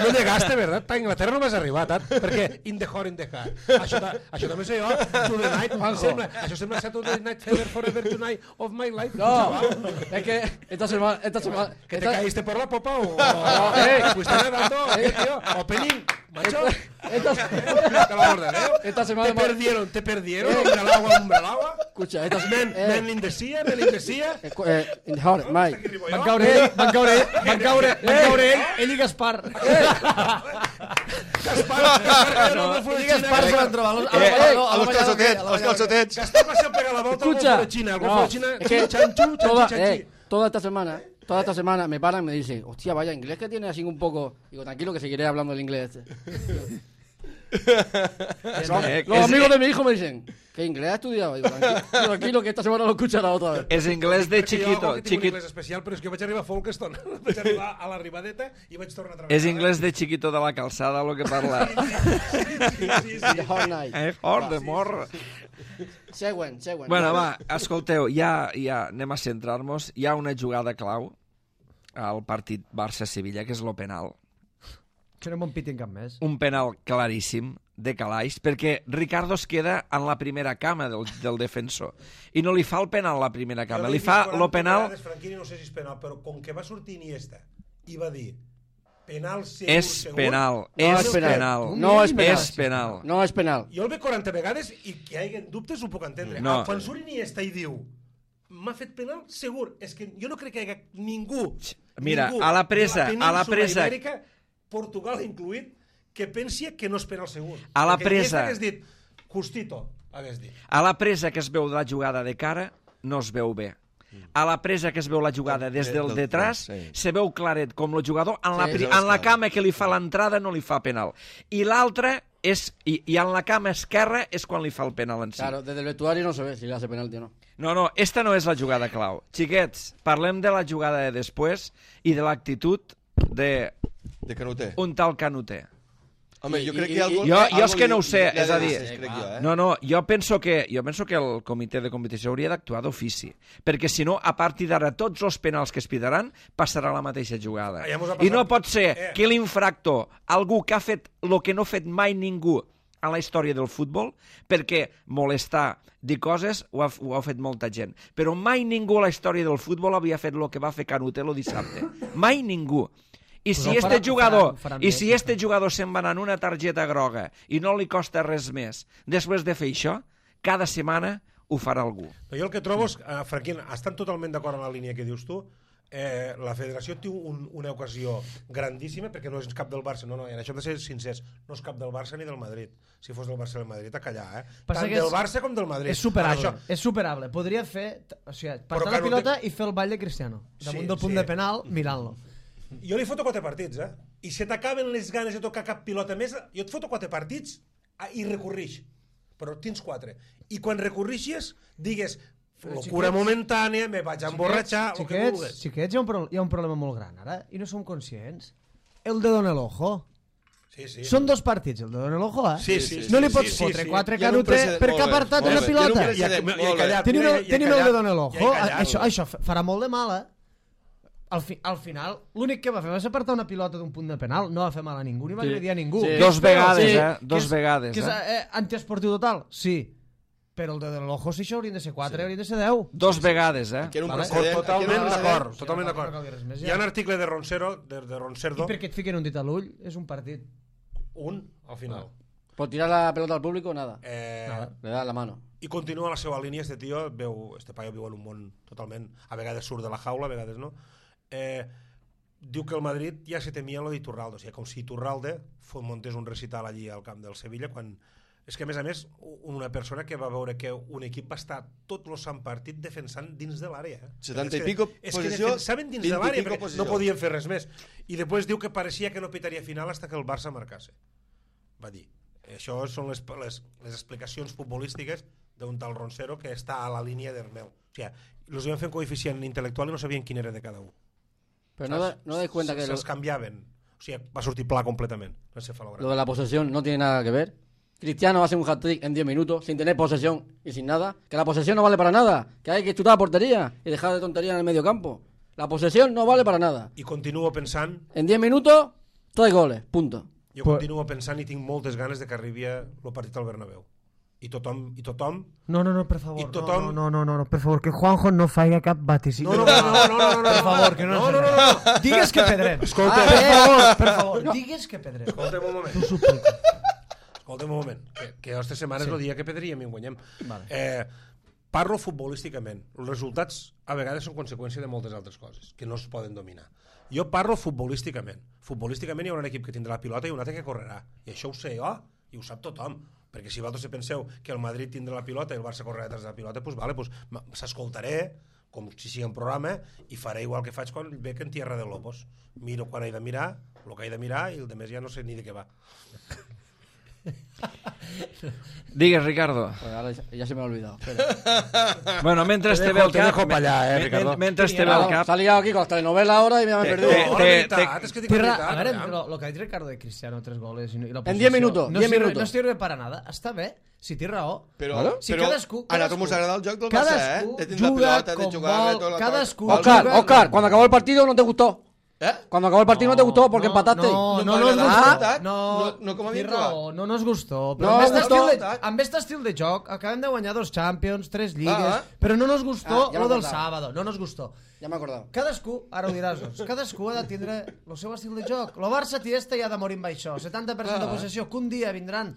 No llegaste, ¿verdad? A Inglaterra no vas arribar, tant, perquè in the heart, in the heart. Això, ta, això també sé jo. To the night. Sembla, això sembla Saturday Night Fever Forever Tonight of my life. No, Chaval, es que esta semana... Esta semana ¿Que te esta- caíste por la popa o...? o eh, fuiste nadando. ¿Qué, tío? Opening. Macho, Esta, te la orden, ¿eh? esta semana... Te perdieron, te perdieron, hombre al agua, hombre al agua. Escucha, esta Men, eh, men l'indecia, men l'indecia. eh, eh, in the heart, Mike. Aquí arribo Van jo. caure ell, van caure ell, van caure, van caure ell, ell i Gaspar. Gaspar, no, no, Ell i Gaspar se van trobar. Eh, a los calçotets, als calçotets. Gaspar va ser pegar la volta al Escucha. golfo de China. El golfo No, de China, es que chanchu, toda, chanchi, chanchi. eh, toda esta semana, toda esta semana me paran y me dicen, hostia, vaya inglés que tiene así un poco. Digo, tranquilo que seguiré hablando el inglés este. Eh, Los és- amigos de mi hijo me dicen, ¿qué inglés has estudiado? Digo, tranquilo, tranquilo que esta semana lo escuchará otra vez. És inglès de Perquè jo chiquito. tinc un chiquito. anglès especial, però és que vaig arribar a Folkestone. Vaig arribar a l'arribadeta i vaig tornar a treballar. És inglès de chiquito de la calçada, el que parla. Sí, sí, In the sí. hard night. Eh, fort de morro. Següent, següent. Bueno, va, escolteu, ja, ja anem a centrar-nos. Hi ha una jugada clau al partit Barça-Sevilla, que és lo penal. Que no me'n pitin cap més. Un penal claríssim de Calaix, perquè Ricardo es queda en la primera cama del, del defensor i no li fa el penal a la primera cama, Jo li l'he fa vist quaranta lo penal. vegades, Franquini, no sé si és penal, però com que va sortir Iniesta i va dir penal segur, És segur, penal, No és és penal. penal. No és penal. És penal. No és penal. Jo el veig quaranta vegades i que hi hagi dubtes ho puc entendre. No. Ah, quan surt Iniesta i diu m'ha fet penal, segur. És que jo no crec que hi hagi ningú, Mira, ningú a la presa, de a la península presa- Ibèrica, Portugal incluït, que pensi que no és penal segur. A la Perquè presa- Iniesta hagués dit, justito, hagués dit. A la presa que es veu la jugada de cara, no es veu bé. A la presa que es veu la jugada des del del detrás, front, sí. se veu claret com el jugador en la, Sí, pri- és en la clar. cama que li fa l'entrada no li fa penal. I l'altra és, i, i en la cama esquerra és quan li fa el penal en si. Claro, desde el vestuario no se ve si le hace penalti o no. No, no, esta no és la jugada clau. Xiquets, parlem de la jugada de després i de l'actitud de De Canuter. un tal Canuter. Home, I- jo crec i- que algo, jo- jo algo és que no ho sé, li- li ha és a de dir- dir, crec jo, eh? No, no, jo penso que, jo penso que el comitè de competició hauria d'actuar d'ofici, perquè si no, a partir d'ara, tots els penals que es pidaran passarà la mateixa jugada. Ah, ja mos ha I no passat. pot ser Eh. que l'infractor, algú que ha fet el que no ha fet mai ningú a la història del futbol, perquè molestar, dir coses, ho ha, ho ha fet molta gent. Però mai ningú a la història del futbol havia fet el que va fer Canutelo dissabte. Mai ningú. I Pues si ho este faran- jugador, faran- faran i bé, si sí, este jugador se'n va anar en una targeta groga i no li costa res més, després de fer això, cada setmana ho farà algú. Però jo el que trobo és, eh, Franquín, estan totalment d'acord amb la línia que dius tu. Eh, la federació té un, una ocasió grandíssima, perquè no és cap del Barça, no, no, en això hem de ser sincers, no és cap del Barça ni del Madrid. Si fos del Barça i del Madrid, a callar, eh? Passa Tant que del és- Barça com del Madrid. És superable, Ara, això, és superable. Podria fer, o sigui, Però passar la Canute- pilota i fer el ball de Cristiano. Damunt Sí, del punt sí. de penal, mirant-lo. jo li foto quatre partits, eh? I se t'acaben les ganes de tocar cap pilota més, jo et foto quatre partits ah, i recorrix. Però tens quatre. I quan recorrixes, digues, locura xiquets- momentània, me vaig a emborratxar, el que xiquets, vulguis. xiquets, hi ha, un pro hi ha un problema molt gran ara i no som conscients. El dedo en el ojo. Sí, sí. Són dos partits, el dedo en el ojo, eh? Sí, sí, no sí, li pots sí, sí, fotre sí. quatre Hi ha un Canute precedent- perquè ha molt bé, apartat molt una bé. pilota. Hi ha un I ha, precedent i ha molt bé. callat. Tenim mira, el, i ha tenim el callat. dedo en el ojo. I ha callat. Això, això fa- farà molt de mal, eh? Al, fi, al final, l'únic que va fer va ser apartar una pilota d'un punt de penal. No va fer mal a ningú, ni va Sí. agredir a ningú. Sí. Que Dos és feo, vegades, sí. eh? Que Dos és- vegades, Que és eh? eh, antiesportiu total? Sí. Però el dedo en l'ojo, si això haurien de ser quatre, haurien de ser deu. Dos vegades, eh? Que era un Vale. precedent. Totalment que era un precedent. d'acord, totalment no cal- d'acord. no cal dir res més, ja. Hi ha un article de Ronsero, de, de I Ronserdo, perquè et fiquen un dit a l'ull, és un partit. un al final. Por tirar la pelota al público, nada. Eh, Le da la mano. I continua la seva línia, este tio, veu, este paio viu en un món totalment, a vegades surt de la jaula, a vegades no. Eh, diu que el Madrid ja se temia lo d'Iturralde, o sigui, com si Iturralde muntés un recital allí al camp del Sevilla, quan... És que, a més a més, una persona que va veure que un equip va estar tot el sant partit defensant dins de l'àrea. Eh? setanta És i que- pico És que posició, defensaven dins de vint i l'àrea, pico perquè posició. no podien fer res més. I després diu que pareixia que no pitaria final fins que el Barça marcasse. Va dir. Això són les, les, les explicacions futbolístiques d'un tal Ronsero que està a la línia d'Hermel. O sigui, els iban fent coeficient intel·lectual i no sabien quin era de cada un. Pero no, da- no dais cuenta que lo, Se'ls canviaven. O sigui, va sortir pla completament. lo de la posesión no tiene nada que ver. Cristiano hace un hat-trick en diez minutos sin tener posesión y sin nada. Que la posesión no vale para nada. Que hay que chutar a portería y dejar de tontería en el medio campo. La posesión no vale para nada. I continuo pensant, En diez minutos, tres goles. Punto. jo Però- continuo pensant i tinc moltes ganes de que arribi el partit al Bernabéu. i tothom, i tothom... No, no, no, per favor. I tothom... No, no, no, no, per favor, que Juanjo no faci cap vaticini. No, no, no, no, no, no, no, per favor, que no, no, no, no, no. Digues que pedrem. Escolta, ah, per favor, per favor, no. Digues que pedrem. Escolta'm un moment. T'ho suplico. Escolta'm un moment, que, que aquesta setmana sí. és el dia que pedríem i en guanyem. Vale. Eh, parlo futbolísticament. Els resultats a vegades són conseqüència de moltes altres coses que no es poden dominar. Jo parlo futbolísticament. Futbolísticament hi haurà un equip que tindrà la pilota i un altre que correrà. I això ho sé jo i ho sap tothom. Perquè si vosaltres penseu que el Madrid tindrà la pilota i el Barça correrà detrás de la pilota, doncs vale, pues, s'escoltaré com si sigui un programa i faré igual que faig quan veig en Tierra de Lobos. Miro quan he de mirar, el que he de mirar i el de més ja no sé ni de què va. Digues, Ricardo. Pues ahora ya, ya se me ha olvidado. Bueno, mientras te, te ve el cap... Te allá, eh, Ricardo. Mientras te ve el cap... Se ha liado aquí con las telenovelas ahora y me han perdido. Te, No, te, la veritat, te, és que dic la veritat. A veure, lo, lo que ha dit Ricardo de Cristiano, tres goles i, i la En diez minutos, no diez sirve, minutos. No sirve para nada. Està bé, si té raó. Però, Vale? Si però cadascú, a nosaltres cadascú, ens agrada el joc del Barça, eh? cadascú De tindre la juga pilota, de com jugar... vol, de tot el- cadascú Oscar, juga- Oscar, cuando acabó el partido no te gustó. Eh? Cuando acabó el partido no, te gustó porque empataste. No, No no, m'ha no, no, agradat, no, no, no com a té mi, raó, no nos gustó. Però No, amb, este gustó. estil de, amb este estil de joc acabem de guanyar dos Champions, tres lligues, Ah, però no nos gustó Ah, ja lo del m'acordava. sábado, no nos gustó. Ya me he acordado. Cadascú, ara ho diràs, doncs, cadascú ha de tindre el seu estil de joc. Lo Barça té este i ha de morir amb això. setanta per cent de possessió, que un dia vindran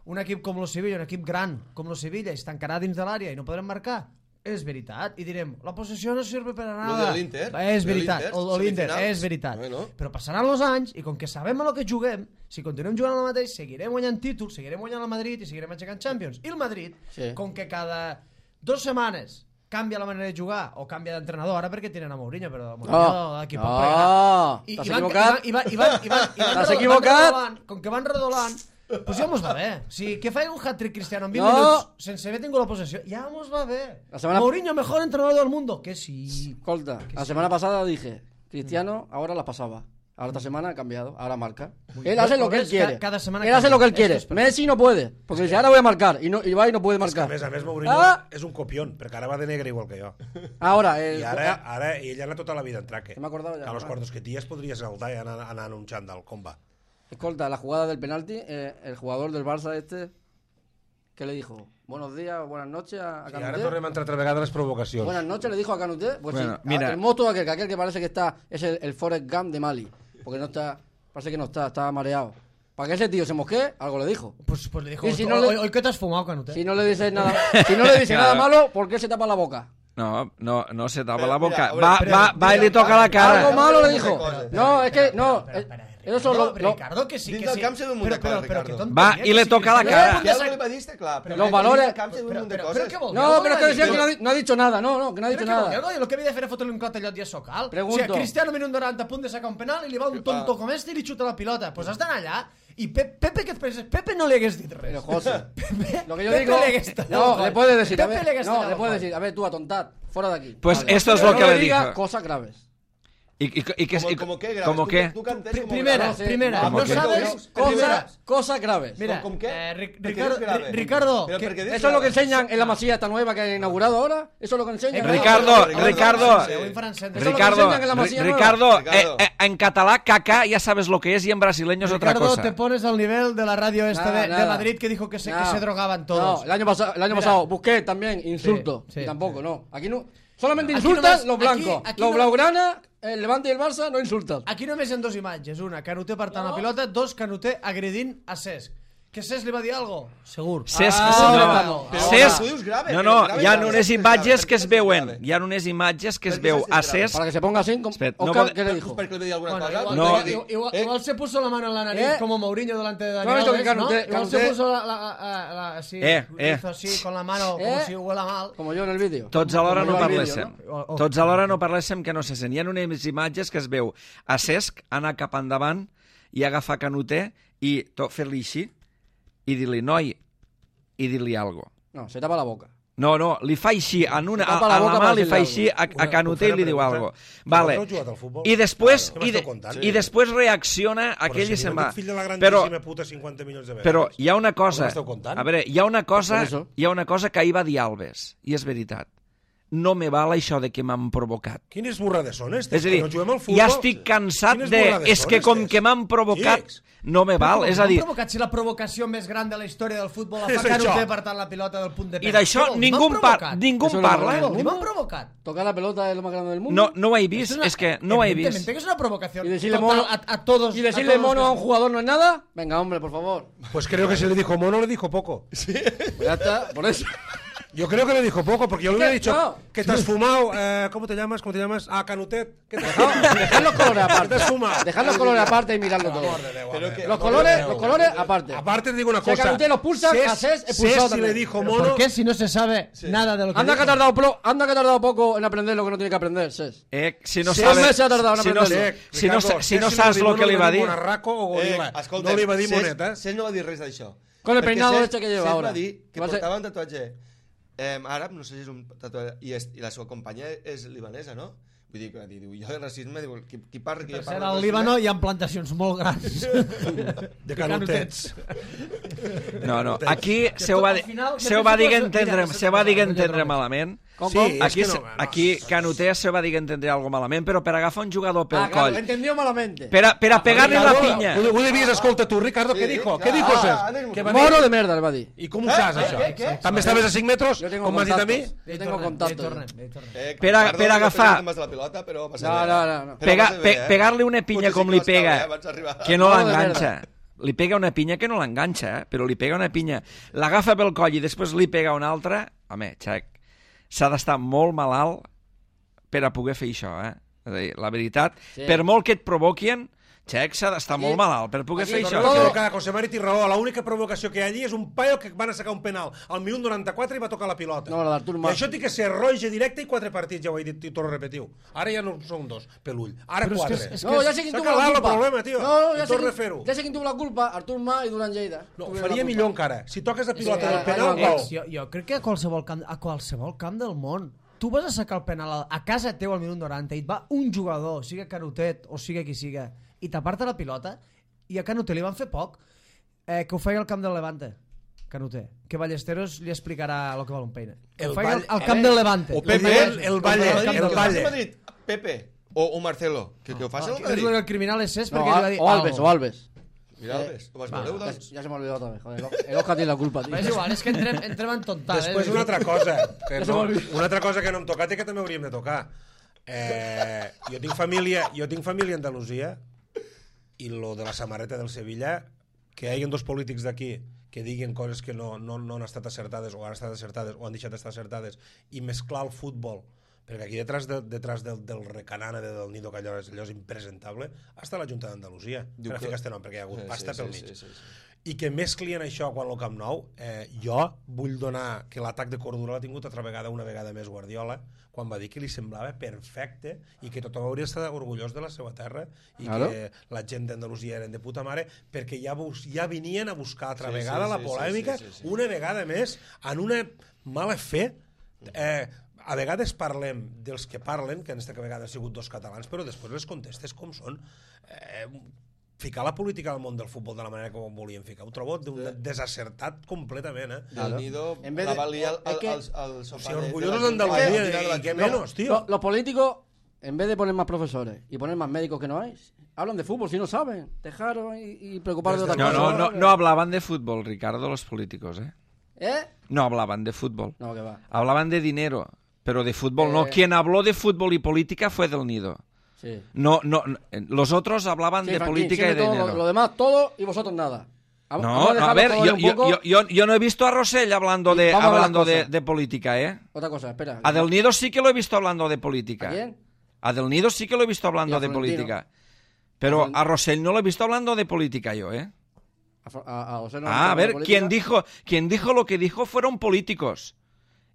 un equip com lo Sevilla, un equip gran com lo Sevilla, i es tancarà dins de l'àrea i no podrem marcar. És veritat. I direm, la possessió no sirve per a Lo nada. de l'Inter, És lo de veritat. l'Inter, O l'Inter, semifinals. és veritat. Bueno. Però passaran els anys i com que sabem a lo que juguem, si continuem jugant al mateix, seguirem guanyant títols, seguirem guanyant el Madrid i seguirem aixecant Champions. I el Madrid, Sí. com que cada dos setmanes canvia la manera de jugar o canvia d'entrenador, ara perquè tenen a Mourinho, però Mourinho No, d'aquí no, poc plegarà. I, t'has i van, equivocat. I van, i van, i van, i van, T'has redo- equivocat. van redolant, com que van redolant, pues ja mos va bé. Si que faig un hat-trick Cristiano en vint No. minuts sense haver tingut la possessió, ja mos va bé. La semana- Mourinho, mejor entrenador del mundo. Que sí. Escolta, la semana pasada dije, Cristiano ahora la pasaba. Ahora esta semana ha cambiado, ahora marca. Él hace lo que él ¿Ves? quiere. Ca- cada semana Él hace cambia. lo que él Esto quiere. es perfecto. Messi no puede, porque dice, ahora voy a marcar. Y, no, y va y no puede A marcar. més a més, Mourinho Ah! és un copión, perquè ara va de negre igual que jo. Ahora, el, I ara, ara ell anat tota la vida en traque. Se m'ha acordat ja. Que a los quartos que ties podria saltar i anar, anar en un xandall, com va? escolta, la jugada del penalti, eh, el jugador del Barça este, ¿qué le dijo? Buenos días, buenas noches a, a I ara Canuté. tornem a entrar altra vegada a les provocacions. Buenas noches, le dijo a Canuté. Pues Bueno, sí, mira. el monstruo aquel, que aquel que parece que está, es el, el Forrest Gump de Mali. Porque no está, parece que no está, está mareado. Para que ese tío se mosquee, algo le dijo. Pues, pues le dijo, Y si "Tú, no le- hoy, hoy que te has fumado, Canute. Si no le dices nada, si no le dice Claro. nada malo, ¿por qué se tapa la boca? No, no, no se tapa Pero, la boca. mira, va, hombre, va, pero, va y le mira, toca la Algo cara. malo le Espera, dijo. espera, No, es que, no. Espera, eh, espera, espera. Eso No, lo, lo- Ricardo, que sí, Dins que del sí. camp se ve un munt de Però- coses, però- però Ricardo. que tonteria, Va, que i le sí, toca la Cristiano cara. no Ja podia no li va dir, està clar. Però Los que valores- dins del camp se ve un Però, munt de però, coses. però què vol dir? No, Algo pero es va que dir. decía que no, ha di- no ha dicho nada, no, no, que no ha Crec dicho que vol dir nada. algo, i el que havia de fer era fotre-li un clatellot i a Socal. Pregunto. O sigui, Cristiano minut noranta a punt de sacar un penal i li va un tonto com este i li xuta la pilota. Doncs pues has d'anar allà i Pe- Pepe, què et penses? Pepe no li hagués dit res. Pero José, Pepe, lo que yo Pepe digo. le hagués tallado No, el le coll. puedes decir, a Pepe ver, le hagués no, tallado le el puedes coll. decir, a ver, tú atontad, fuera de aquí. Pues Vale. esto es Pero lo no que le diga dijo. cosas graves. ¿Y, y, y, qué- Como, y- como qué, ¿Cómo Tú- qué? Tú cantes Pri- como primera, grabes. sé, primera, ¿cómo no que? sabes... Cosas, primera, cosas graves. mira, ¿Con qué? eh, Ri- ¿Por qué Ricardo, es grave? Ri- Ricardo, Pero que- ¿por qué dices Eso es lo que grave? enseñan en la masilla esta nueva que han inaugurado ahora. Eso es lo que enseñan. Eh, Ricardo, Ricardo, Ricardo, sí. Avui en faran cent. Eso es lo que Ricardo, enseñan en la Ri- masilla nueva. Ricardo, Ricardo. eh, eh, en catalán caca ya sabes lo que es y en brasileño es otra Ricardo, cosa. te pones al nivel de la radio esta Nada, de, de nada. Madrid que dijo que se, que No. se drogaban todos. No, el año pasado, el año Mira. pasado busqué también insultos. Sí, sí, y tampoco, sí. no. Aquí no. Solamente Aquí insultas només- los blancos. aquí- aquí los no- blaugrana, el Levante y el Barça no insultas. Aquí només hi ha dos imatges. Una, Canuté partant la pilota. Dos, Canuté agredint a Cesc. Que Cesc li va dir alguna cosa? Segur. Cesc, Ah, no, no. Cesc, Tu dius grave, no, però no, grave, hi ha grave, unes grave, imatges que es grave, veuen, grave. hi ha unes imatges que es Per què veu s'ha a fet grave? Cesc. Para que se ponga así, com- Espera, no Oscar, pot- ¿qué le Pues dijo? perquè li va dir alguna Bueno, cosa. igual, No. igual, igual, Eh? igual se puso la mano en la nariz Eh? como Mourinho delante de ¿No Daniel has visto que Alves, ¿no? Canuté- Igual se Canuté- puso la, la, la, la- así, Eh, eh. hizo así con la mano como Eh? si huela mal. Como yo en el vídeo. Tots alhora Com no jo al vídeo, parléssim. no? O- o- Tots alhora no parléssim que no se sent. Hi ha unes imatges que es veu a Cesc anar cap endavant i agafar Canuté i to- fer-li així i dir-li, noi, i dir-li algo. No, se tapa la boca. No, no, li fa així, en una, Se a, tapa la a la boca mà per li fa dir-li així a, a Una- Canuté i li diu una algo. pregunta. Vale. Vosaltres heu jugat al futbol? I després, Què i, de, m'esteu contant? i després reacciona aquell Però i si se'n jo va. dic fill de la Però, grandíssima puta cinquanta milions de vegades. però hi ha una cosa, Què m'esteu contant? a veure, hi ha una cosa, Per això. hi ha una cosa que ahir va dir Alves, i és veritat. no me val això de que m'han provocat. Quines burrades són estes? És a dir, no juguem al futbol. ja estic cansat Quines de... burrades És són que com estes? que m'han provocat, Xics. no me val. És a dir, provocat si la provocació més gran de la història del futbol la És fa Canute això. apartant la pilota del punt de i d'això ningú en par ningú en parla. Ni m'han provocat. Tocar la pelota es lo más grande del mundo. No, no ho he vist, una- és que no ho he vist. Evidentemente que es una provocación Y decirle total mono- a, a todos. ¿Y decirle a todos mono a un los- jugador no es nada? Venga, hombre, por favor. Pues creo que si le dijo mono, le dijo poco. Pues ya está, por eso. Yo creo que le dijo poco, porque yo le hubiera ¿Qué? dicho No. que te has fumado. Eh, ¿Cómo te llamas? ¿Cómo te llamas? Ah, Canutet. ¿Qué te has Dejad, fumado? dejad los colores ¿Qué te aparte. has fumado? Dejad los colores aparte y miradlo todo. Amor de Déu, Pero home. que- Los Amor colores, de Déu. los colores aparte. Aparte te digo una Si a cosa. Canutet lo expulsan, Cés- a Cés Cés, expulsado si también. le dijo ¿Pero mono... ¿Por qué si no se sabe nada de lo que Anda que ha dijo? tardado plo- anda que ha tardado poco en aprender lo que no tiene que aprender, Ses. Eh, si no Sí, sabe, meses ha tardado en si no, aprenderlo. si no, Ricardo, si no Cés saps li el va que dir li va mono, dir... Monarraco o Eh, gorila. escolta, no li va dir Cés- moneta. Cés no va dir res d'això. Con el Perquè peinado Cés- este que lleva Cés ahora. va dir que Va a ser- portava un tatuatge eh, àrab, no sé si és un tatuatge, i, és, i la seva companya és libanesa, no? Vull dir, que diu, jo de racisme, diu, qui, qui parla, qui Per parla ser de al racisme? Líbano hi ha plantacions molt grans. De canutets. No, no, aquí se ho va, al final, se ho va dir que mira, entendre, no sé se va dir que com- entendre malament. Com, Sí, com? és Aquí, que no, se- no, aquí Canuté se va dir que entendria algo malament, però per agafar un jugador pel Ah, claro, lo coll, entendió malamente. per a, per a pegar-li la Ricardo, pinya. Ho, ho devies escolta tu, Ricardo, què dijo? Què dijo, ah, Cés? ah, Què va dir? Mono de merda, le va a decir. I com ho saps, això? què, què? També estaves a cinc metres, Yo tengo com m'has dit a mi? contactos. Yo Hi tengo tornem, hi contactos. tornem, hi tornem. Eh, Per a- Ricardo, per no agafar- pegues de la pilota, però va ser No, bé. no, no, no. Però Pega, va ser pe, bé, eh? pegar-li una pinya Potser com sí li que vas pega, caure, eh, abans d'arribar. que no Mono de l'enganxa. Li pega una pinya que no l'enganxa, eh? Però li pega una pinya, l'agafa pel coll i després li pega una altra. Home, xec, s'ha d'estar molt malalt per a poder fer això, eh? És a dir, la veritat, Sí. per molt que et provoquin, xec, s'ha d'estar Aquí- molt malalt per poder aquí fer con això. todo- Però que José Mari té raó, l'única provocació que hi ha allí és un paio que van a sacar un penal al minut noranta-quatre i va tocar la pilota. No, la d'Artur I Mas. això té que ser roja directe i quatre partits, ja ho he dit i torno a repetir-ho. Ara ja no són dos, pelull. Ara Però és que quatre. és- és No, ya sé quién S'ha tuvo la acabat el culpa. problema, tio. No, no, I ya sé, torna a quién, fer-ho. ya sé quién tuvo la culpa, Artur Mas y Durán Lleida. No, Tuvieron faria la millor culpa. encara. Si toques la pilota Sí, del ara- penal, ara- gol. Jo, jo crec que a qualsevol, camp, a qualsevol camp del món tu vas a sacar el penal a, a casa teu al minut noranta i et va un jugador, siga Canutet o siga qui siga, i t'aparta la pilota, i a Canutet li van fer poc eh, que ho feia al camp del Levante, Canutet, que Ballesteros li explicarà el que val un peine. Que El ho feia al, Valle- al camp del Levante. O Pepe, el, el Valle, Madrid, el que ho faci Valle. el Madrid, Pepe o, o Marcelo, que, que ho faci el És Madrid. el criminal és Cés No, perquè li va dir... o Alves, algo. o Alves. Mira, Alves, ho vas veure, Ya, doncs? ya se me ha olvidado otra vez, joder. El Oscar tiene la culpa, tío. És igual, és que entrem, entrem en tontal. Després eh? una altra cosa, que Ja se no, m'ha oblidat. una altra cosa que no hem tocat i que també hauríem de tocar. Eh, jo tinc família, jo tinc família a Andalusia i lo de la samarreta del Sevilla, que hi hagi dos polítics d'aquí que diguin coses que no, no, no han estat acertades o han estat acertades o han deixat d'estar acertades i mesclar el futbol, perquè aquí detrás, de, detrás del, del recanana de del Nido, que allò és, allò és impresentable, està la Junta d'Andalusia, Diu per que- ficar este nom, perquè hi ha hagut Sí, pasta sí, pel sí, mig. sí, sí, sí. I que mesclien això quan el Camp Nou, eh, jo vull donar que l'atac de cordura l'ha tingut altra vegada, una vegada més Guardiola, quan va dir que li semblava perfecte i que tothom hauria d'estar orgullós de la seva terra i Claro. que la gent d'Andalusia eren de puta mare, perquè ja, bus, ja venien a buscar altra Sí, vegada sí, la sí, polèmica, sí, sí, sí, sí. una vegada més, en una mala fe. Eh, a vegades parlem dels que parlen, que en aquesta vegada han sigut dos catalans, però després les contestes com són. Eh, ficar la política al món del futbol de la manera que ho volien ficar, ho trobo d'un desacertat completament, eh? Del Nido En vez la de- valia al, es que- al, al sofà Si de- de orgullosos la- d'Andalusia, de la- de la- i què no, menos, tío. Los, los políticos, en vez de poner más profesores y poner más médicos que no hay, hablan de fútbol si no saben. Dejaros y, y preocuparos de otra No, cosa. no, no, no hablaban de fútbol, Ricardo, los políticos, ¿eh? ¿Eh? No hablaban de fútbol. No, que va. Hablaban de dinero, pero de fútbol no. Eh. Quien habló de fútbol y política fue Del Nido. Sí. No, no, no, los otros hablaban Sí, de Franklin, política y de siempre todo, dinero. Lo, lo demás todo y vosotros nada. Vamos- No, vamos no, a dejar ver, los yo, colores un yo, poco. yo, yo, yo no he visto a Rosell hablando de, Vamos a ver las hablando de, cosas. de política, ¿eh? Otra cosa, espera. A Del Nido sí que lo he visto hablando de política. ¿A quién? A Del Nido sí que lo he visto Y hablando a de Florentino. política. Pero Florent- a Rosell no lo he visto hablando de política yo, ¿eh? A, a, a José no Ah, a le ver, gusta la quien política. dijo, quien dijo lo que dijo fueron políticos.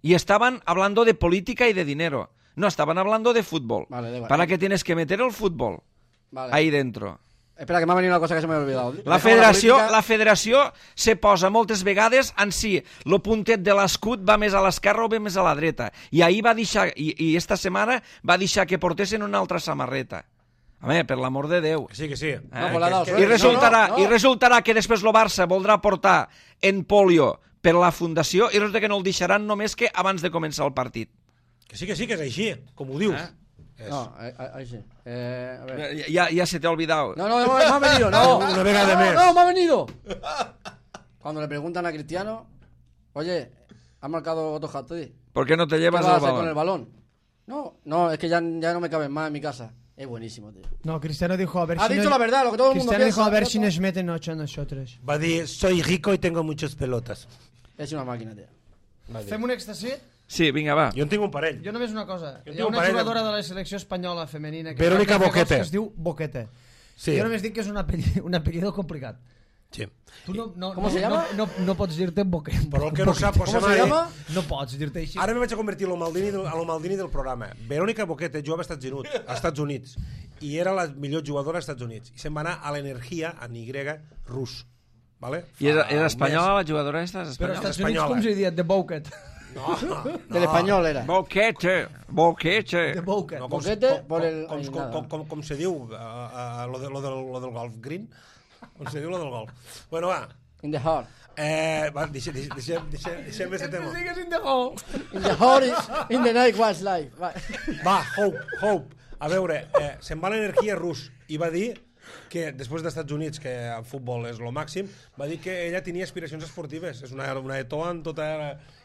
Y estaban hablando de política y de dinero. No, estaban hablando de fútbol. Vale, da igual. ¿Para qué tienes que meter el fútbol Vale. ahí dentro? Espera, que me ha venido una cosa que se me había olvidado. La Dejamos federació, política. la federació se posa moltes vegades en si el puntet de l'escut va més a l'esquerra o va més a la dreta. I ahir va deixar, i, i esta setmana va deixar que portessin una altra samarreta. Home, per l'amor de Déu. Que sí, que sí. Eh? No, pues l'ha dado I suerte. resultarà, No, no, no. I resultarà que després el Barça voldrà portar en polio per la fundació i resulta que no el deixaran només que abans de començar el partit. Que sí, que sí, que és així, com ho dius. Eh? És... No, ahí sí. Eh, a ver. Ya, ya se te ha olvidado. No, no, me ha venido, no. Una vegada no, més. No, me ha venido. Cuando le preguntan a Cristiano, oye, ¿has marcado otro hat-trick? ¿Por qué no te ¿Qué llevas vas a el hacer con el balón? balón? No, no, es que ya, ya no me caben más en mi casa. Es buenísimo, tío. No, Cristiano dijo a ver Ha si dicho no... la verdad, lo que todo el mundo Cristiano piensa. dijo a ver ¿no? si nos meten ocho a nosotros. Va dir, soy rico y tengo muchas pelotas. Es una máquina, tío. Va dir. Fem un èxtasi? Sí, vinga, va. Jo en tinc un parell. Jo només una cosa. Jo Hi tinc ha un una parell de- jugadora de la selecció espanyola femenina que Verónica fa gols Boquete. que es diu Boquete. Sí. Jo només dic que és un apellido, un apellido complicat. Sí. Tu no, no, ¿Cómo no, se llama? No, no, no pots dir-te Boquete. Però el que no sap, José ¿Cómo se Mari... llama? No pots dir-te així. Ara me vaig a convertir a lo Maldini del, a lo Maldini del programa. Verónica Boquete jugava als Estats Units, als Estats Units i era la millor jugadora als Estats Units. I se'n va anar a l'Energia, en Y, rus. Vale? I era, Fa era un espanyola la jugadora esta? És Però als espanyola? Estats Units espanyola. com se diria? The Boquete. mes. No, no. Del español era. Boquete, boquete. The Boquete. No, com, Boquete com, por el- com, ai, com, nada. com, com, com se diu uh, uh, lo, de, lo, del, lo del golf green? Com se diu lo del golf? Bueno, va. In the heart. Eh, va, deixem, deixem, deixem, deixem aquest tema. Sigues in the hole. In the heart is in the night was life. Va. Va, Hope, Hope. A veure, eh, se'n va l'energia rus i va dir que després dels Estats Units, que el futbol és lo màxim, va dir que ella tenia aspiracions esportives. És una, una etoa en tota...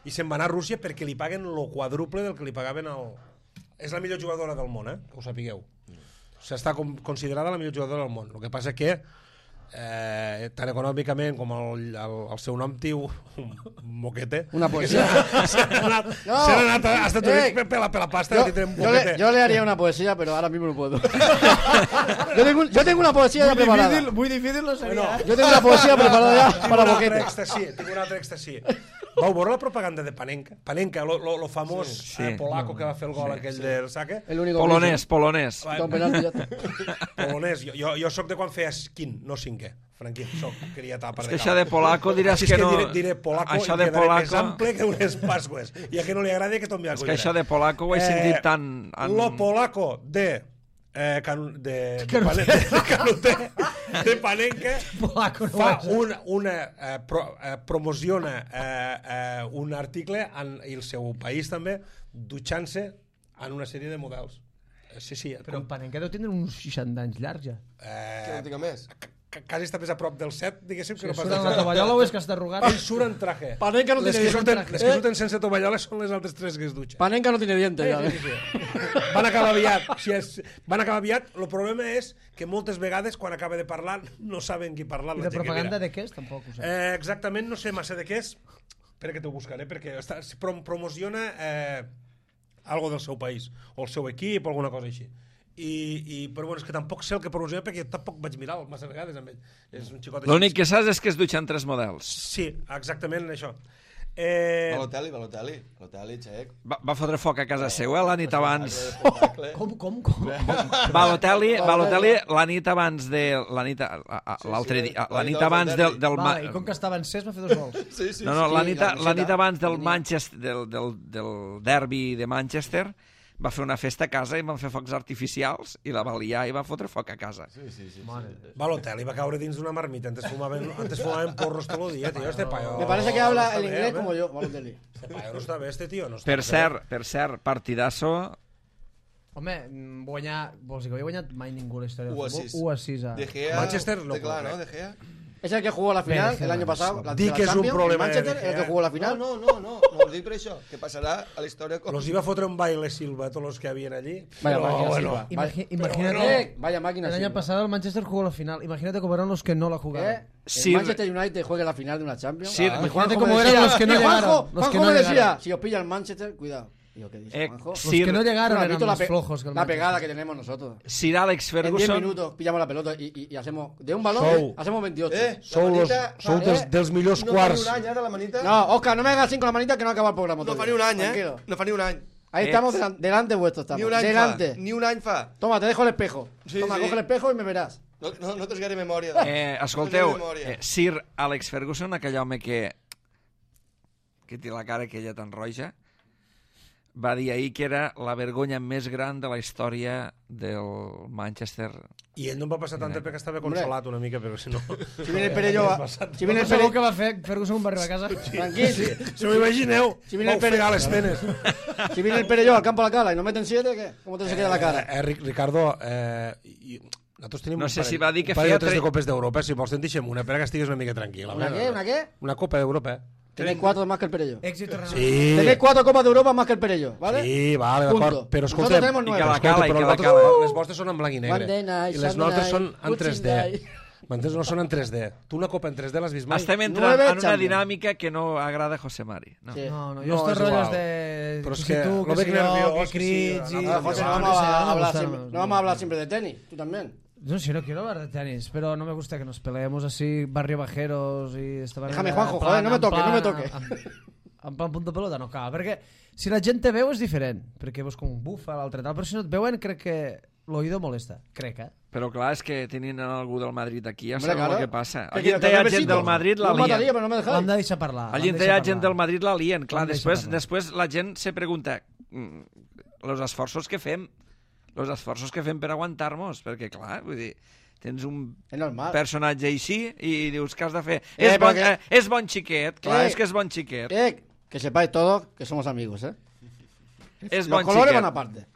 I se'n va anar a Rússia perquè li paguen lo quadruple del que li pagaven al... És la millor jugadora del món, eh? Que ho sapigueu. S'està com, considerada la millor jugadora del món. El que passa que eh, tant econòmicament com el, el, el seu nom tiu un moquete Una poesía. s'han anat, No. s'han anat a Estats Units Eh. per, per, la, per la pasta Yo, que tindrem yo le, moquete. yo le haría una poesía, pero ahora mismo no puedo. yo, tengo, un- yo tengo una poesía ya Muy preparada. difícil, muy difícil no seria. Bueno, eh? Yo tengo una poesía preparada ya Tinc para un altre Boquete. èxtasi, tinc un altre èxtasi. Vau veure la propaganda de Panenka? Panenka, lo, lo, lo famós sí, sí. eh, polaco que va fer el gol aquell del saque. El único Polonès, polonès. que hizo. Con penalti ya está. Polonès. Jo, jo, jo soc de quan feia quin, no cinquè. Franquí, soc, queria tapar És de que això de polaco diràs Així és que que no... diré, diré polaco això i de quedaré més polaco... ample que unes pasqües. I a qui no li agrada que tombi a És que això de polaco ho he sentit tant... En... Lo polaco de... Eh, can, de, de, Pane- de Canuté, de Panenka, Polaco no fa és. un, una, eh, pro, eh, promociona eh, eh, un article en, i el seu país també, dutxant-se en una sèrie de models. Eh, Sí, sí. Però en Panenka deu tindre uns seixanta anys llargs ja. Que no Eh, tinc més. ca- quasi està més a prop del set, diguéssim, que no pas Surt del en la set. tovallola o és que està arrugat? Ell surt en traje. Panenka no les tiene que surten, dientes. les que surten sense tovalloles són les altres tres que es dutxen. Panenka no tiene dientes ya. Sí, sí, sí. Van acabar aviat. Si és, van acabar aviat. El problema és que moltes vegades, quan acaba de parlar, no saben qui parlar. I de propaganda de què és? Tampoc ho sé. Eh, exactament, no sé massa de què és. Espera que t'ho buscaré, perquè està, es prom promociona eh, algo del seu país, o el seu equip, o alguna cosa així. I, i, però bueno, és que tampoc sé el que promociona perquè tampoc vaig mirar massa vegades amb ell. És un xicot així. L'únic que saps és que es dutxen tres models. Sí, exactament això. Eh, Balotelli, Balotelli, Balotelli, xec. Va, va fotre foc a casa seva la nit abans. Espectacle. Com, com, com? Balotelli, Balotelli la nit abans de... La nit, a- a- l'altre dia, la nit abans del... del Va, ma- i com que estava en ses va fer dos gols. Sí, sí, No, no, sí, la nit, la la nit camiseta. abans del Tenia. Manchester, del, del, del derbi de Manchester, va fer una festa a casa i van fer focs artificials i la va liar i va fotre foc a casa. sí, sí, sí. Balotelli va caure dins d'una marmita. Antes fumaven, antes fumaven porros todo el día, tío. Este payo... Me parece que habla el no está inglés bé, como eh? yo, Balotelli. Este payo no està bé, este tío. No està Per bé. cert, per cert, partidasso... Home, mm, guanyar... Vols dir que havia guanyat mai ningú a la història del u a futbol? sis. u a sis. a- De Gea, Manchester no té clar, puede. ¿no? De Gea. Es el que jugó la final Venga, el año venga, pasado. La, Di de la que és un Champions, problema el Manchester, de el que Gea. jugó la No, final. no, no, no, no us dic per això, que passarà a la història com... Los iba a fotre un baile Silva a todos los que habían allí. Vaya Pero, máquina bueno, Silva. Imagi- Vaya- imagínate- Eh, vaya máquina El año Silva. pasado el Manchester jugó la final. Imagínate cómo eran los que no la jugaron. ¿Eh? El Sí, Manchester United juegue la final de una Champions. Sí, Y imagínate Juanjo cómo me eran decía- los que no y Juanjo- llegaron, los Juanjo que no me decía, llegaron. si os pilla el Manchester, cuidado. Digo, ¿qué dice Eh, Juanjo? Los Sir, que no llegaron ¿Has eran visto más pe- flojos que el la pegada Manchester. que tenemos nosotros? Sir Alex En diez Ferguson... minutos pillamos la pelota y, y, y hacemos... De un balón, Sou. eh, hacemos veintiocho. Eh, Sou, la los, manita, sou fa- dels, eh, dels millors no quarts. fa ni un any, eh, de la manita? No, Oscar, no me hagas así con la manita que no acaba el programa. No todavía. fa ni un any, eh? Tranquilo. No fa ni un any. Ahí Eh. estamos, delan- delante vuestro estamos. Ni un any delante. fa. Ni un any fa. Toma, te dejo el espejo. Sí, Toma, sí. coge el espejo y me verás. No, no, no tens gaire memòria. Eh, escolteu, No tens memòria. eh, Sir Alex Ferguson, aquell home que que té la cara aquella tan roja, va dir ahir que era la vergonya més gran de la història del Manchester. I ell no em va passar tant perquè estava consolat una mica, però si no... Si viene el Perello... Si viene el Segur Perello... que va fer Ferguson va arribar a casa. Tranquil. Si, Si m'ho imagineu, Si viene el vau fregar Pere- les penes. si viene el Perello al campo a la cala y nos meten siete, ¿qué? ¿Cómo te se queda la cara? Eh, eh, Ric- Ricardo, eh, i, nosaltres tenim No un sé parell, si va dir que un parell feia o tres tre- de copes d'Europa, si vols te'n deixem una, per que estigues una mica tranquil. ¿Una qué? ¿Una qué? Una copa d'Europa, eh? Tenéis cuatro más que el Perello. Èxit o Sí. Tenéis cuatro copas de Europa más que el Perello, ¿vale? Sí, vale, Punto. d'acord. Però Nosotros escolta, tenemos nueve. I que la escolta, cala, i però que la nosaltres- cala. les vostres són en blanc i negre. Monday night, I les Sunday nostres night, són en tres D. Boxing day. M'entens? No són en tres D. Tu una copa en tres D l'has vist mai? Estem entrant Nueve en una Champions. dinàmica que no agrada a José Mari. No. Sí. No, no, No, jo estos és rotllos igual. de... Però és que que si tu, lo que veig si jo, nerviós, que que sí, crits... no, i- no, Ah, José, no no, vamos sé, a no me hablar gusta, siempre, no- no vamos a hablar siempre de tenis, tú también. No, si no quiero hablar de tenis, pero no me gusta que nos peleemos así, barrio bajeros y esta manera... Déjame, Juanjo, en joder, no me en toque, no me plan- toque. En, en plan punto pelota no cal, perquè si la gent te veu és diferent, perquè veus com un bufa, l'altre tal, però si no et veuen crec que l'oïdo molesta, crec, eh? Però clar, és que tenint algú del Madrid aquí ja Hombre, sabeu claro. el que passa. ¿Qué Allí quieres, on hi ha que gent besito? del Madrid la No me mataría, lien. pero no me L'hem dejáis. de deixar parlar. Allí l'hem on de hi ha deixar gent parlar. del Madrid la lien. Clar, L'hem de després, deixar parlar. després la gent se pregunta mm, els esforços que fem els esforços que fem per aguantar-nos, perquè clar, vull dir, tens un Es normal. personatge així i dius que has de fer... Eh, és, bon, perquè- eh, és bon xiquet, clar, Eh, és que és bon xiquet. Eh, que sepáis todos que somos amigos, ¿eh? és Los bon colores xiquet. van aparte.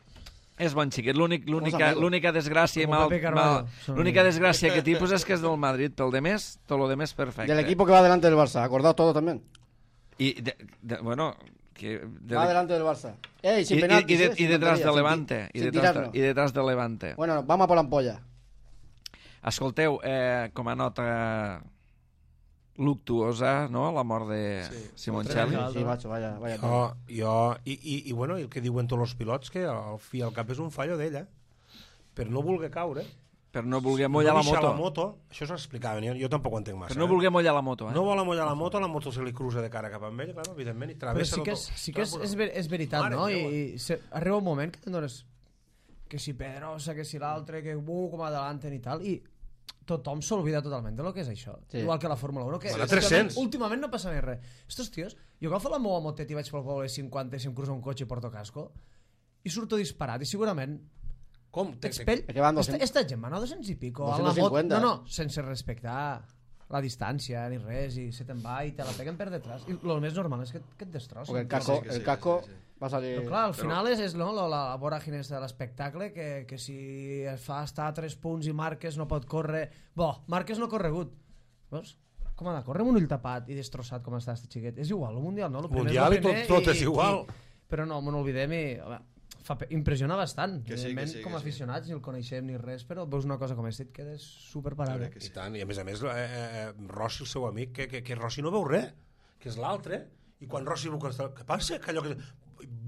És bon xiquet. L'únic- L'única amigos. l'única desgràcia, Com mal, Pepe Carvalho. mal, Són l'única amigos. desgràcia que tipus és que és del Madrid, pel de més, tot lo de més perfecte. Del equipo que va delante del Barça, acordaos todo también. I, de, de, bueno, que... De, Va delante del Barça. Ey, i, sin i, penaltis, i, de, eh, i sin detrás tonterías, de sin Levante. ti- I sin detrás de, tirarnos. I detrás de Levante. Bueno, vamos a por la ampolla. Escolteu, eh, com a nota luctuosa, no?, la mort de Sí. Simoncelli. Sí, macho, vaya, vaya. Jo, jo, i, i, i, bueno, i el que diuen tots els pilots, que al fi al cap és un fallo d'ella, per no voler caure, Per no voler mollar no la deixar moto. la moto, això s'ho explicaven, jo, jo tampoc ho entenc massa. Per no eh? voler mollar la moto, eh? No vol amollar la moto, la moto se li cruza de cara cap a ell, clar, evidentment, i Però travessa sí que és, tot. sí que és, és, ver, és veritat, Mare no? meva. I, i se, arriba un moment que te'n dones que si Pedrosa, que si l'altre, que uh, com adelanten i tal, i tothom s'olvida totalment de lo que és això. Sí. Igual que la Fórmula uno, que Bueno, últimament, tres-cents. últimament no passa més res. Estos tios, jo agafo la meva motet i vaig pel poble cinquanta i si em cruza un cotxe i porto casco i surto disparat i segurament Com? Te, te, Expell... Es que van Esta, doscientos- esta gent van a doscientos i pico. a la doscientos cincuenta. moto, no, no, sense respectar la distància ni res, i se te'n va i te la peguen per detrás. I el més normal és que, que et destrossin. Porque el casco, Sí, que sí, el que casco sí, sí. va a salir... Però clar, al final és, és no, la, la voràgine de l'espectacle, que, que si es fa estar a tres punts i Marques no pot córrer... Bo, Marques no ha corregut. Veus? Com ha de córrer amb un ull tapat i destrossat com està este xiquet? És igual, el Mundial, no? El primer és Mundial el i tot- primer tot és igual. I, però no, me n'olvidem i... Home, fa, pe- impressiona bastant. Que sí, que Evidentment, sí, com que a sí. aficionats, ni el coneixem ni res, però veus una cosa com aquesta i et quedes superparat. que I tant, i a més a més, eh, eh, Rossi, el seu amic, que, que, que Rossi no veu res, que és l'altre, i quan Rossi veu que està... Què passa? Que allò que...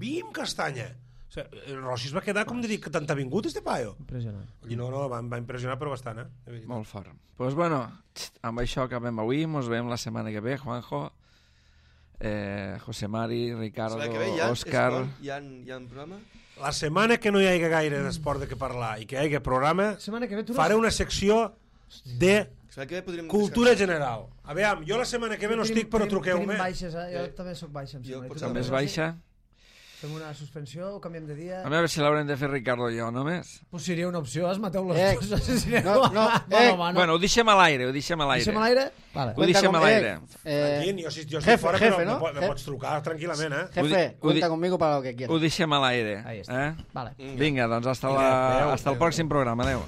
Bim, castanya! O sigui, el Rossi es va quedar com de dir que tant ha vingut este paio. Impressionant. I no, no, va, em va impressionar però bastant, eh? De veritat. Molt fort. Doncs pues bueno, txt, amb això acabem avui, ens veiem la setmana que ve, Juanjo, eh, José Mari, Ricardo, La que ve ja, Òscar... esport, hi ha, hi ha un programa? La setmana que no hi hagi gaire d'esport de què parlar i que hi hagi programa, Setmana que ve tu no... faré una secció de La que ve podríem cultura descansar. general. Aviam, jo la setmana que ve no Tenim- estic, però tenim- truqueu-me. Tenim baixes, eh? Jo també soc baixa. Em Jo sembla. I tu potser També és no? baixa. Fem una suspensió, ho canviem de dia... A veure si l'haurem de fer Ricardo i jo, només. Pues seria una opció, es mateu les Eh, dues. Si aneu no, no, a- eh, mano a mano. Bueno, ho deixem a l'aire, ho deixem a l'aire. Deixem a l'aire? Vale. Ho deixem a l'aire. Eh, Tranquil, jo, si, jo estic jefe, fora, jefe, però ¿no? me, po- me Je- pots trucar tranquil·lament, eh? jefe, Ho di- ho di- cuenta conmigo para lo que Ho quieras. deixem a l'aire. Ahí està. Eh? Vale. Vinga, doncs hasta, Vinga, la, adéu, hasta el adéu. pròxim programa. Adéu.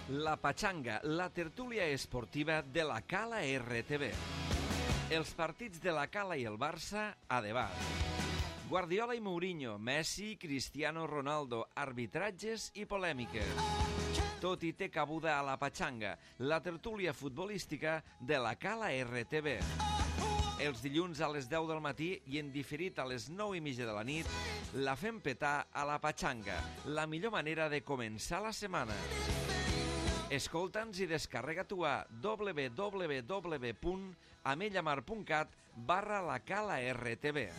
La Pachanga, la tertúlia esportiva de la Cala R T V. Els partits de la Cala i el Barça a debat. Guardiola i Mourinho, Messi, Cristiano Ronaldo, arbitratges i polèmiques. Tot i té cabuda a la Pachanga, la tertúlia futbolística de la Cala R T V. Els dilluns a les deu del matí i en diferit a les nou i mitja de la nit, la fem petar a la Pachanga, la millor manera de començar la setmana. Escolta'ns i descarrega tu a w w w punt amellamar punt cat barra la Cala R T V.